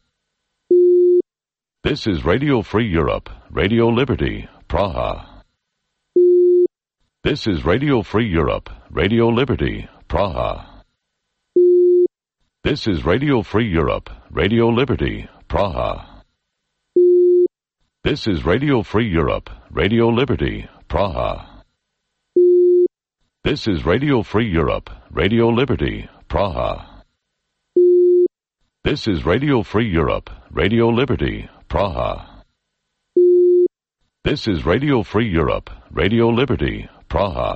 This is Radio Free Europe, Radio Liberty, Praha. This is Radio Free Europe, Radio Liberty, Praha. This is Radio Free Europe, Radio Liberty, Praha. This is Radio Free Europe, Radio Liberty, Praha. This is Radio Free Europe, Radio Liberty, Praha. This is Radio Free Europe, Radio Liberty, Praha. This is Radio Free Europe, Radio Liberty, Praha.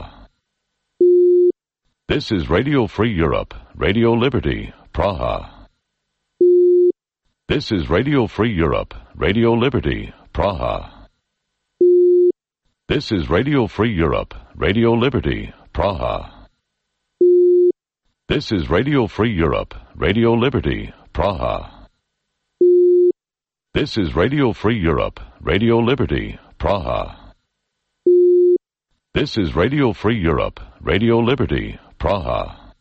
This is Radio Free Europe, Radio Liberty, Praha. This is Radio Free Europe, Radio Liberty, Praha. This is Radio Free Europe, Radio Liberty, Praha. This is Radio Free Europe, Radio Liberty, Praha. This is Radio Free Europe, Radio Liberty, Praha. This is Radio Free Europe, Radio Liberty, Praha.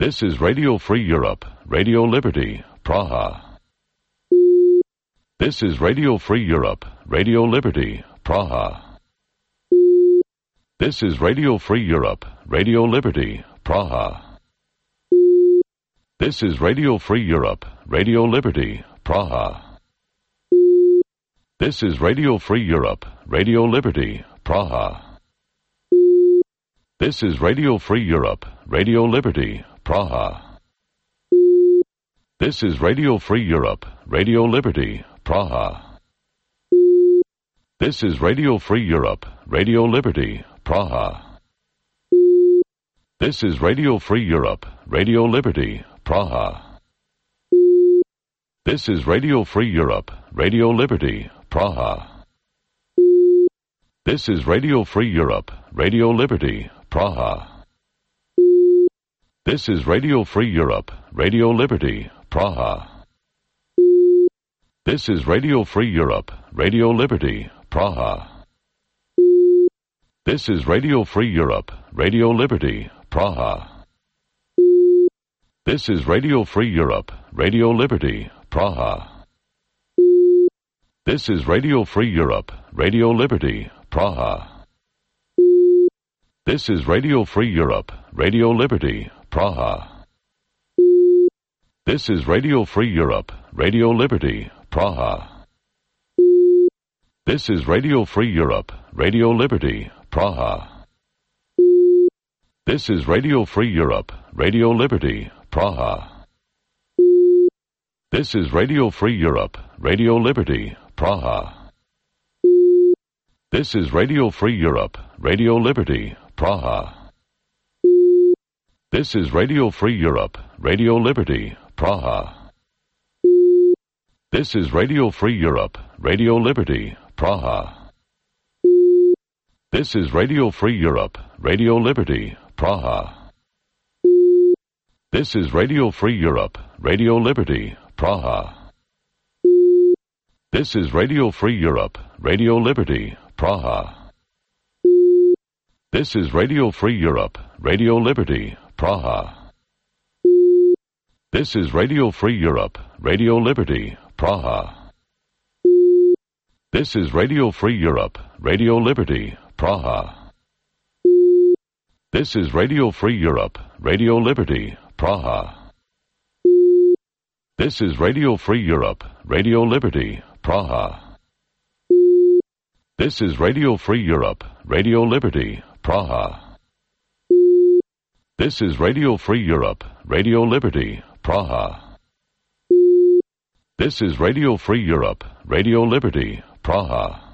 This is Radio Free Europe, Radio Liberty, Praha. This is Radio Free Europe, Radio Liberty, Praha. This is Radio Free Europe, Radio Liberty, Praha. This is Radio Free Europe, Radio Liberty, Praha. This is Radio Free Europe, Radio Liberty, Praha. This is Radio Free Europe, Radio Liberty, Praha. This is Radio Free Europe, Radio Liberty, Praha. This is Radio Free Europe, Radio Liberty, Praha. This is Radio Free Europe, Radio Liberty, Praha. This is Radio Free Europe, Radio Liberty, Praha. This is Radio Free Europe, Radio Liberty, Praha. This is Radio Free Europe, Radio Liberty, Praha. This is Radio Free Europe, Radio Liberty, Praha. This is Radio Free Europe, Radio Liberty, Praha. This is Radio Free Europe, Radio Liberty, Praha. This is Radio Free Europe, Radio Liberty, Praha. This is Radio Free Europe, Radio Liberty, Praha. This is Radio Free Europe, Radio Liberty, Praha. This is Radio Free Europe, Radio Liberty, Praha. This is Radio Free Europe, Radio Liberty, Praha. This is Radio Free Europe, Radio Liberty, Praha. This is Radio Free Europe, Radio Liberty, Praha. This is Radio Free Europe, Radio Liberty, Praha. This is Radio Free Europe, Radio Liberty, Praha. This is Radio Free Europe, Radio Liberty, Praha. This is Radio Free Europe, Radio Liberty, Praha. This is Radio Free Europe, Radio Liberty, Praha. This is Radio Free Europe, Radio Liberty, Praha. This is Radio Free Europe, Radio Liberty, Praha. This is Radio Free Europe, Radio Liberty, Praha. This is Radio Free Europe, Radio Liberty, Praha. This is Radio Free Europe, Radio Liberty, Praha. This is Radio Free Europe, Radio Liberty, Praha. This is Radio Free Europe, Radio Liberty, Praha. This is Radio Free Europe, Radio Liberty, Praha.